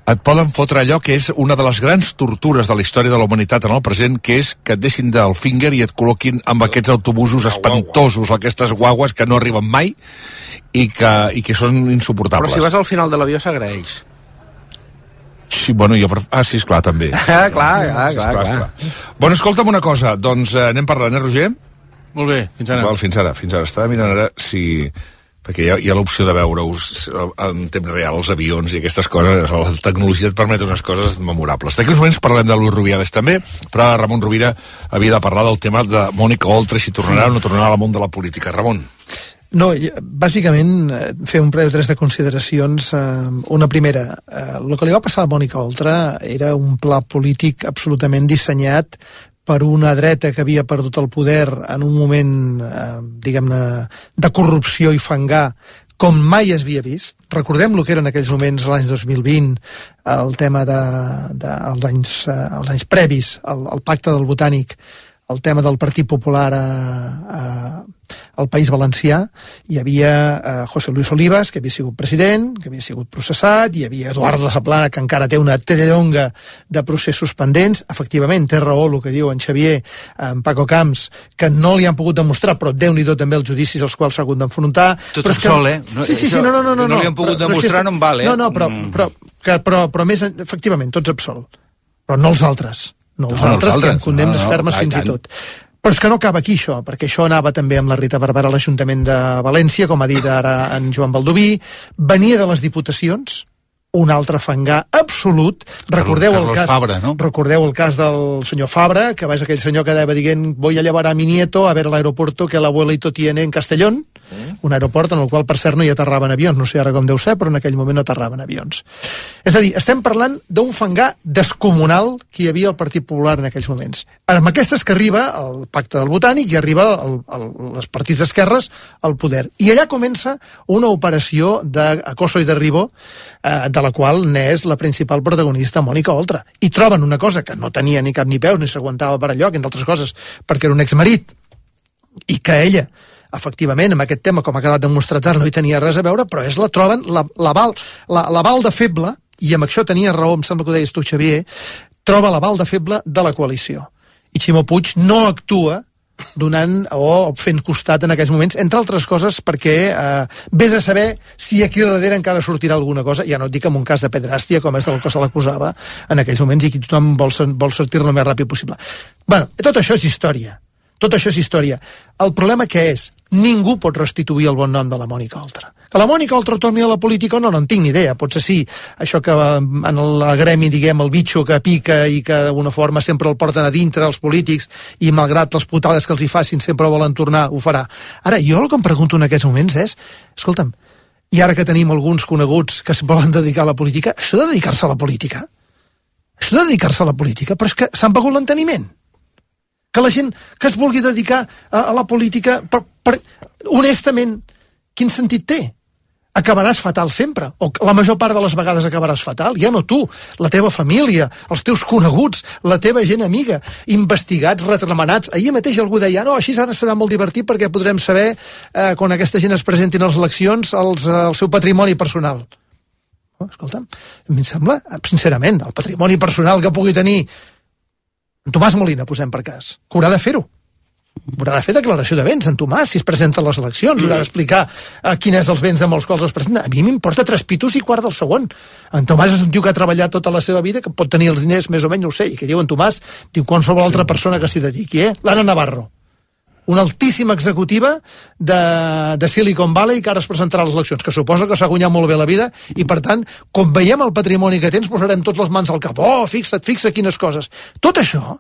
et poden fotre allò que és una de les grans tortures de la història de la humanitat en el present, que és que et deixin del finger i et col·loquin amb aquests autobusos espantosos, aquestes guagues que no arriben mai i que, i que són insuportables. Però si vas al final de l'avió s'agraeix. Sí, bueno, jo... Pref... Ah, sí, esclar, també. Ah, clar, clar, sí, clar, esclar, clar. esclar. Bueno, escolta'm una cosa, doncs eh, anem parlant, eh, Roger? Molt bé, fins ara. Val, fins ara, fins ara. Estava mirant ara si... perquè hi ha, hi ha l'opció de veure-us en temps real els avions i aquestes coses, la tecnologia et permet unes coses memorables. D'aquí uns moments parlem de Luis Rubiales també, però Ramon Rovira havia de parlar del tema de Mònica Oltra, si tornarà o no tornarà al món de la política. Ramon. No, bàsicament fer un parell o tres de consideracions. Una primera, el que li va passar a Mònica Oltra era un pla polític absolutament dissenyat per una dreta que havia perdut el poder en un moment, eh, diguem-ne, de corrupció i fangar com mai es havia vist. Recordem el que eren en aquells moments, l'any dos mil vint, el tema de, de els, anys, eh, els anys previs, el, el pacte del Botànic, el tema del Partit Popular a, a, al País Valencià. Hi havia eh, José Luis Olivas, que havia sigut president, que havia sigut processat, hi havia Eduardo Zaplana, que encara té una trellonga de processos pendents. Efectivament, té raó el que diu en Xavier, en Paco Camps, que no li han pogut demostrar, però Déu-n'hi-do també els judicis als quals s'ha hagut d'enfrontar. Tot sol, eh? No, sí, sí, sí, no, no, no, no, no li han pogut però, demostrar, però, no em val, eh? No, no, però, però, però, però, però més, efectivament, tots absolt. Però no els altres. No els no, altres, que amb condemnes no, no, fermes fins i tot. Però és que no acaba aquí això, perquè això anava també amb la Rita Barberà a l'Ajuntament de València, com ha dit ara en Joan Baldoví, venia de les diputacions, un altre fangar absolut. Recordeu el cas, Fabra, no? recordeu el cas del senyor Fabra, que va ser aquell senyor que anava dient voy a llevar a mi nieto a ver el aeropuerto que el abuelito tiene en Castellón, mm. un aeroport en el qual, per cert, no hi aterraven avions, no sé ara com deu ser, però en aquell moment no aterraven avions. És a dir, estem parlant d'un fangar descomunal que hi havia al Partit Popular en aquells moments. Amb aquestes que arriba el pacte del Botànic i arriba el, el, els partits d'esquerres al poder. I allà comença una operació d'acoso i derribo eh, de la qual n'és la principal protagonista Mònica Oltra. I troben una cosa que no tenia ni cap ni peus, ni s'aguantava per allò, entre altres coses, perquè era un exmarit, i que ella, efectivament, amb aquest tema, com ha quedat demostrat, no hi tenia res a veure, però és la troben l'aval la, la, la de feble, i amb això tenia raó, em sembla que ho deies tu, Xavier, troba l'aval de feble de la coalició. I Ximo Puig no actua donant o fent costat en aquells moments, entre altres coses perquè eh, vés a saber si aquí darrere encara sortirà alguna cosa, ja no et dic en un cas de pedràstia com és del que se l'acusava en aquells moments i que tothom vol, vol sortir-ne el més ràpid possible. Bueno, tot això és història, tot això és història. El problema què és? Ningú pot restituir el bon nom de la Mònica Oltra. Que la Mònica Oltra torni a la política no, no en tinc ni idea. Potser sí, això que en el gremi, diguem, el bitxo que pica i que d'alguna forma sempre el porten a dintre els polítics i malgrat les putades que els hi facin sempre volen tornar, ho farà. Ara, jo el que em pregunto en aquests moments és, escolta'm, i ara que tenim alguns coneguts que es volen dedicar a la política, això de dedicar-se a la política, això de dedicar-se a la política, però és que s'han begut l'enteniment. Que la gent que es vulgui dedicar a, a la política, per, per, honestament, quin sentit té? Acabaràs fatal sempre, o la major part de les vegades acabaràs fatal, ja no tu, la teva família, els teus coneguts, la teva gent amiga, investigats, retramenats. Ahir mateix algú deia, no, així ara serà molt divertit perquè podrem saber, eh, quan aquesta gent es presenti a les eleccions, els, eh, el seu patrimoni personal. Oh, escolta'm, a mi em sembla, sincerament, el patrimoni personal que pugui tenir en Tomàs Molina, posem per cas, que haurà de fer-ho. Haurà de fer declaració de béns, en Tomàs, si es presenta a les eleccions, mm. haurà d'explicar uh, quins és els béns amb els quals es presenta. A mi m'importa tres pitos i quart del segon. En Tomàs és un tio que ha treballat tota la seva vida, que pot tenir els diners més o menys, no ho sé, i que diu en Tomàs, diu qualsevol altra persona que s'hi dediqui, eh? L'Anna Navarro, una altíssima executiva de, de Silicon Valley que ara es presentarà a les eleccions, que suposa que s'ha guanyat molt bé la vida i, per tant, com veiem el patrimoni que tens, posarem tots les mans al cap. Oh, fixa't, fixa't quines coses. Tot això,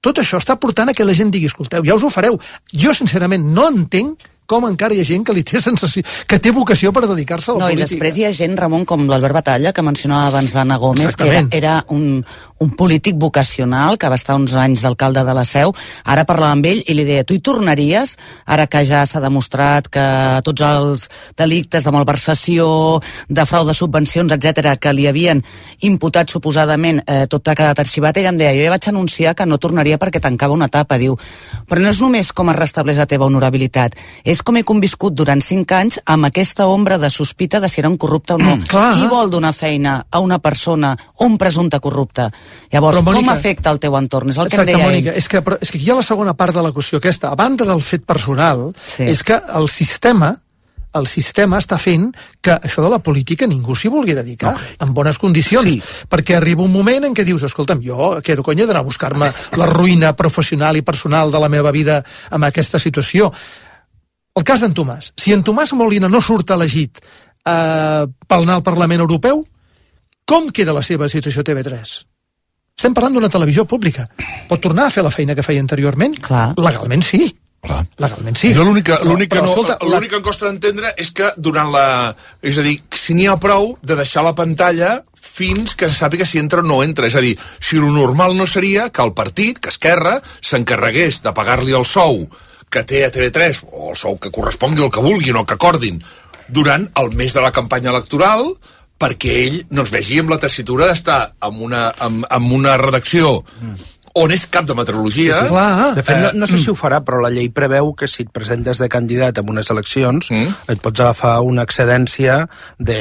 tot això està portant a que la gent digui, escolteu, ja us ho fareu. Jo, sincerament, no entenc com encara hi ha gent que li té sensació, que té vocació per dedicar-se a la no, I després hi ha gent, Ramon, com l'Albert Batalla, que mencionava abans l'Anna Gómez, Exactament. que era, era un, un polític vocacional, que va estar uns anys d'alcalde de la Seu. Ara parlava amb ell i li deia, tu hi tornaries, ara que ja s'ha demostrat que tots els delictes de malversació, de frau de subvencions, etcètera, que li havien imputat suposadament, eh, tot ha quedat arxivat, ella em deia, jo ja vaig anunciar que no tornaria perquè tancava una etapa, diu, però no és només com es restableix la teva honorabilitat, és és com he conviscut durant cinc anys amb aquesta ombra de sospita de si era un corrupte o no. Mm, clar. Qui vol donar feina a una persona o un presumpte corrupte? Llavors, Però, Mònica, com afecta el teu entorn? És el que exacte, em deia Mònica, ell. és que, però, és que aquí hi ha la segona part de la qüestió aquesta. A banda del fet personal, Sí. és que el sistema el sistema està fent que això de la política ningú s'hi vulgui dedicar no. en bones condicions, sí. perquè arriba un moment en què dius, escolta'm, jo quedo conya d'anar a buscar-me la ruïna professional i personal de la meva vida amb aquesta situació. El cas d'en Tomàs. Si en Tomàs Molina no surt elegit eh, per anar al Parlament Europeu, com queda la seva situació a T V tres? Estem parlant d'una televisió pública. Pot tornar a fer la feina que feia anteriorment? Clar. Legalment sí. Clar. Legalment sí. Jo l'únic que, Però- l'únic que, però, no, escolta, l'únic que em costa d'entendre és que durant la... És a dir, si n'hi ha prou de deixar la pantalla fins que se sàpiga si entra o no entra. És a dir, si lo normal no seria que el partit, que Esquerra, s'encarregués de pagar-li el sou que té a T V tres, o el sou que correspongui, el que vulguin, o que acordin, durant el mes de la campanya electoral, perquè ell no es vegi amb la tessitura d'estar en una, amb, amb una redacció on és cap de meteorologia. Sí, sí. Clar. De fet, no, no sé si ho farà, però la llei preveu que si et presentes de candidat en unes eleccions, mm. et pots agafar una excedència de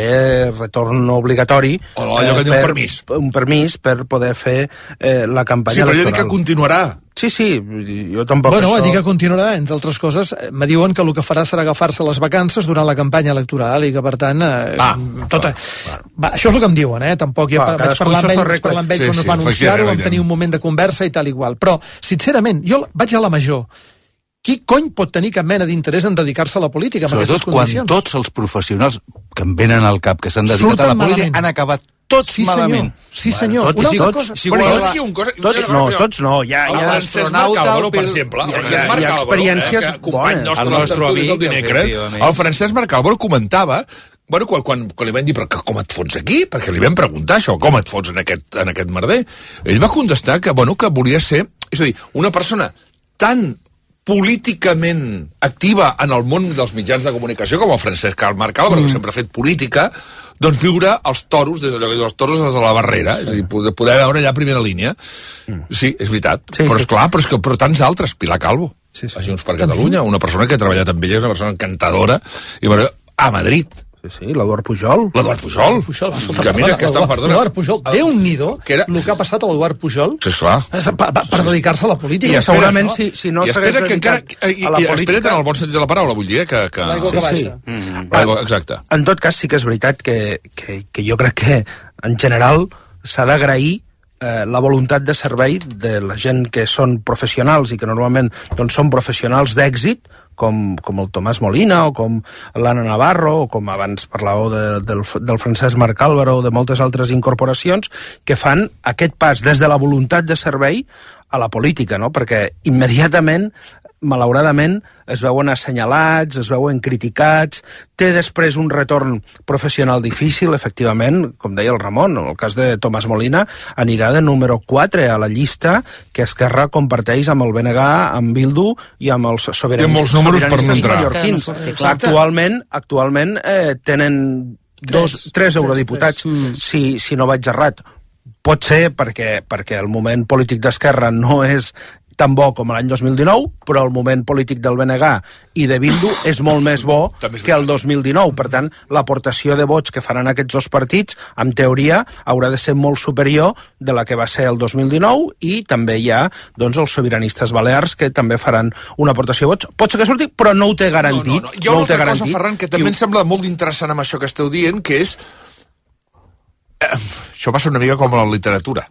retorn obligatori. O allò que diu un permís. Un permís per poder fer eh, la campanya Sí, però jo electoral. dic que continuarà. Sí, sí, jo tampoc Bueno, això... dic que continuarà, entre altres coses, eh, me diuen que el que farà serà agafar-se les vacances durant la campanya electoral i que, per tant, eh, Ah, tota... Va, això és el que em diuen, eh? Tampoc jo Va, vaig parlar amb ell, vaig parlar amb ell Sí, quan sí, es va anunciar-ho, efectivament, vam tenir un moment de conversa i tal i igual. Però, sincerament, jo vaig a la major. Qui cony pot tenir cap mena d'interès en dedicar-se a la política amb Sobretot aquestes quan condicions? tots els professionals que em venen al cap que s'han dedicat Surten a la política malament. han acabat tots Sí, senyor. malament. Sí, senyor. Tots, Una sí, altra tots. cosa. Sí, Bueno, bueno, la- aquí un cosa... tots no, tots no. Hi ha, El hi ha Francesc Marc Álvaro, per exemple. El hi ha- Francesc hi ha Marc Álvaro, experiències eh, que company bones. nostre El del nostre Tertulis del amic, dimecres, efectivament. el Francesc Marc Álvaro comentava, bueno, quan, quan, quan li van dir, però que, com et fots aquí? Perquè li vam preguntar això, com et fots en aquest, en aquest merder? Ell va contestar que, bueno, que volia ser, és a dir, una persona tan políticament activa en el món dels mitjans de comunicació com el Francesc Marc Álvaro, mm. que sempre ha fet política, doncs viure els toros, des d'allò que diu els toros des de la barrera, és a dir, poder, poder veure allà a primera línia. Mm. Sí, és veritat. Sí, però sí. és clar, però, és que, però tants altres, Pilar Calvo, Sí, sí. a Junts per Catalunya, una persona que ha treballat amb ella, és una persona encantadora, i bueno, a Madrid. Sí, sí, l'Eduard Pujol. L'Eduard Pujol. Pujol, escolta, que mira que està, perdona. L'Eduard Pujol, Déu-n'hi-do, Que era- el que ha passat a l'Eduard Pujol Sí, esclar. per, per, per dedicar-se a la política. I espera, segurament no? si, si no I s'hagués espera que encara... dedicat I, a la i política... espera't en el bon sentit de la paraula, vull dir, eh, que... que... L'aigua que Sí, sí. baixa. Mm. L'aigua, exacte. En tot cas, sí que és veritat que, que, que jo crec que, en general, s'ha d'agrair eh, la voluntat de servei de la gent que són professionals i que normalment doncs, són professionals d'èxit, com, com el Tomàs Molina o com l'Anna Navarro o com abans parlàveu de, del, del Francesc Marc Álvaro o de moltes altres incorporacions que fan aquest pas des de la voluntat de servei a la política, no? Perquè immediatament, malauradament, es veuen assenyalats, es veuen criticats, té després un retorn professional difícil, efectivament, com deia el Ramon, en el cas de Tomàs Molina, anirà de número quatre a la llista que Esquerra comparteix amb el B N G, amb Bildu i amb els sobiranistes, Té molts números per no entrar. mallorquins. Que no surti, Actualment, actualment eh, tenen dos, tres, tres eurodiputats, tres. si, si no vaig errat. Pot ser perquè, perquè el moment polític d'Esquerra no és tan bo com l'any dos mil dinou, però el moment polític del B N G i de Bildu és molt més bo que el dos mil dinou. Per tant, l'aportació de vots que faran aquests dos partits, en teoria, haurà de ser molt superior de la que va ser el dos mil dinou, i també hi ha doncs, els sobiranistes balears que també faran una aportació de vots. Pot ser que surti, però no ho té garantit. No, no, no. Hi ha no una ho té altra cosa, garantit. Ferran, que també em sembla molt interessant amb això que esteu dient, que és... Eh, això passa una mica com a la literatura.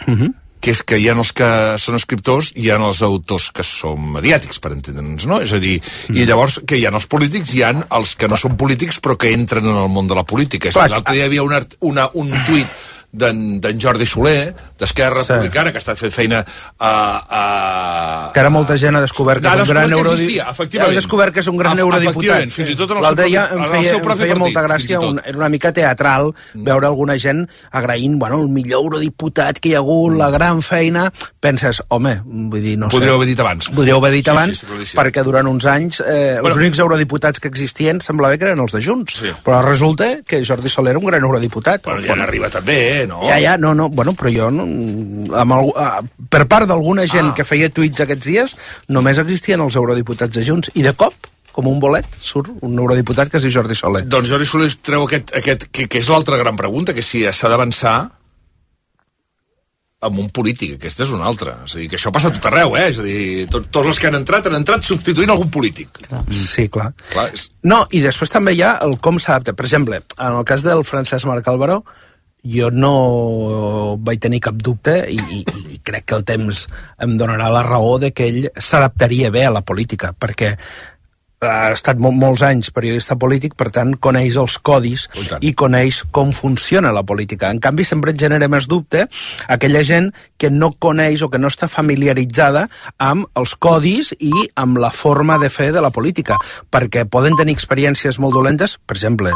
Uh-huh. Que és que hi ha els que són escriptors i hi ha els autors que són mediàtics, per entendre'ns, no? És a dir, mm. i llavors que hi ha els polítics, hi ha els que no són polítics però que entren en el món de la política. És a dir, l'altre dia hi havia una, una, un tuit d'en Jordi Soler, d'Esquerra Sí. Republicana, que ha estat fent feina a... a... Que ara molta gent ha descobert que Ha és un gran descobert que eurodiputat. existia, efectivament. Ha descobert que és un gran Ef- eurodiputat. efectivament, fins i tot en el L'altre seu dia propi- em en el feia, seu em propi feia partit, molta fins i gràcia, tot. un, era una mica teatral veure alguna gent agraint, bueno, el millor eurodiputat que hi ha hagut, la gran feina. Penses, home, vull dir, no sé. Podríeu haver dit abans. Podríeu haver dit Sí, sí, abans, està claríssim. perquè durant uns anys eh, Bueno. els únics eurodiputats que existien semblava que eren els de Junts. Sí. Però resulta que Jordi Soler era un gran eurodiputat. Bueno, ja n'arriba també, eh, no? Ja, ja, no, no, bueno, però jo, no, amb el, ah, per part d'alguna gent Ah. que feia tuits aquests dies, només existien els eurodiputats de Junts, i de cop com un bolet, surt un eurodiputat que es diu Jordi Soler. Doncs Jordi Soler treu aquest, aquest que, que és l'altra gran pregunta, que si s'ha d'avançar amb un polític, aquesta és una altra. És a dir, que això passa a tot arreu, eh? És a dir, tot, tots els que han entrat han entrat substituint algun polític. Sí, clar. clar és... No, i després també hi ha el com s'adapta. Per exemple, en el cas del Francesc Marc Álvaro, jo no vaig tenir cap dubte i, i, i crec que el temps em donarà la raó de que ell s'adaptaria bé a la política, perquè ha estat mol, molts anys periodista polític, per tant coneix els codis i coneix com funciona la política. En canvi, sempre et genera més dubte aquella gent que no coneix o que no està familiaritzada amb els codis i amb la forma de fer de la política, perquè poden tenir experiències molt dolentes, per exemple,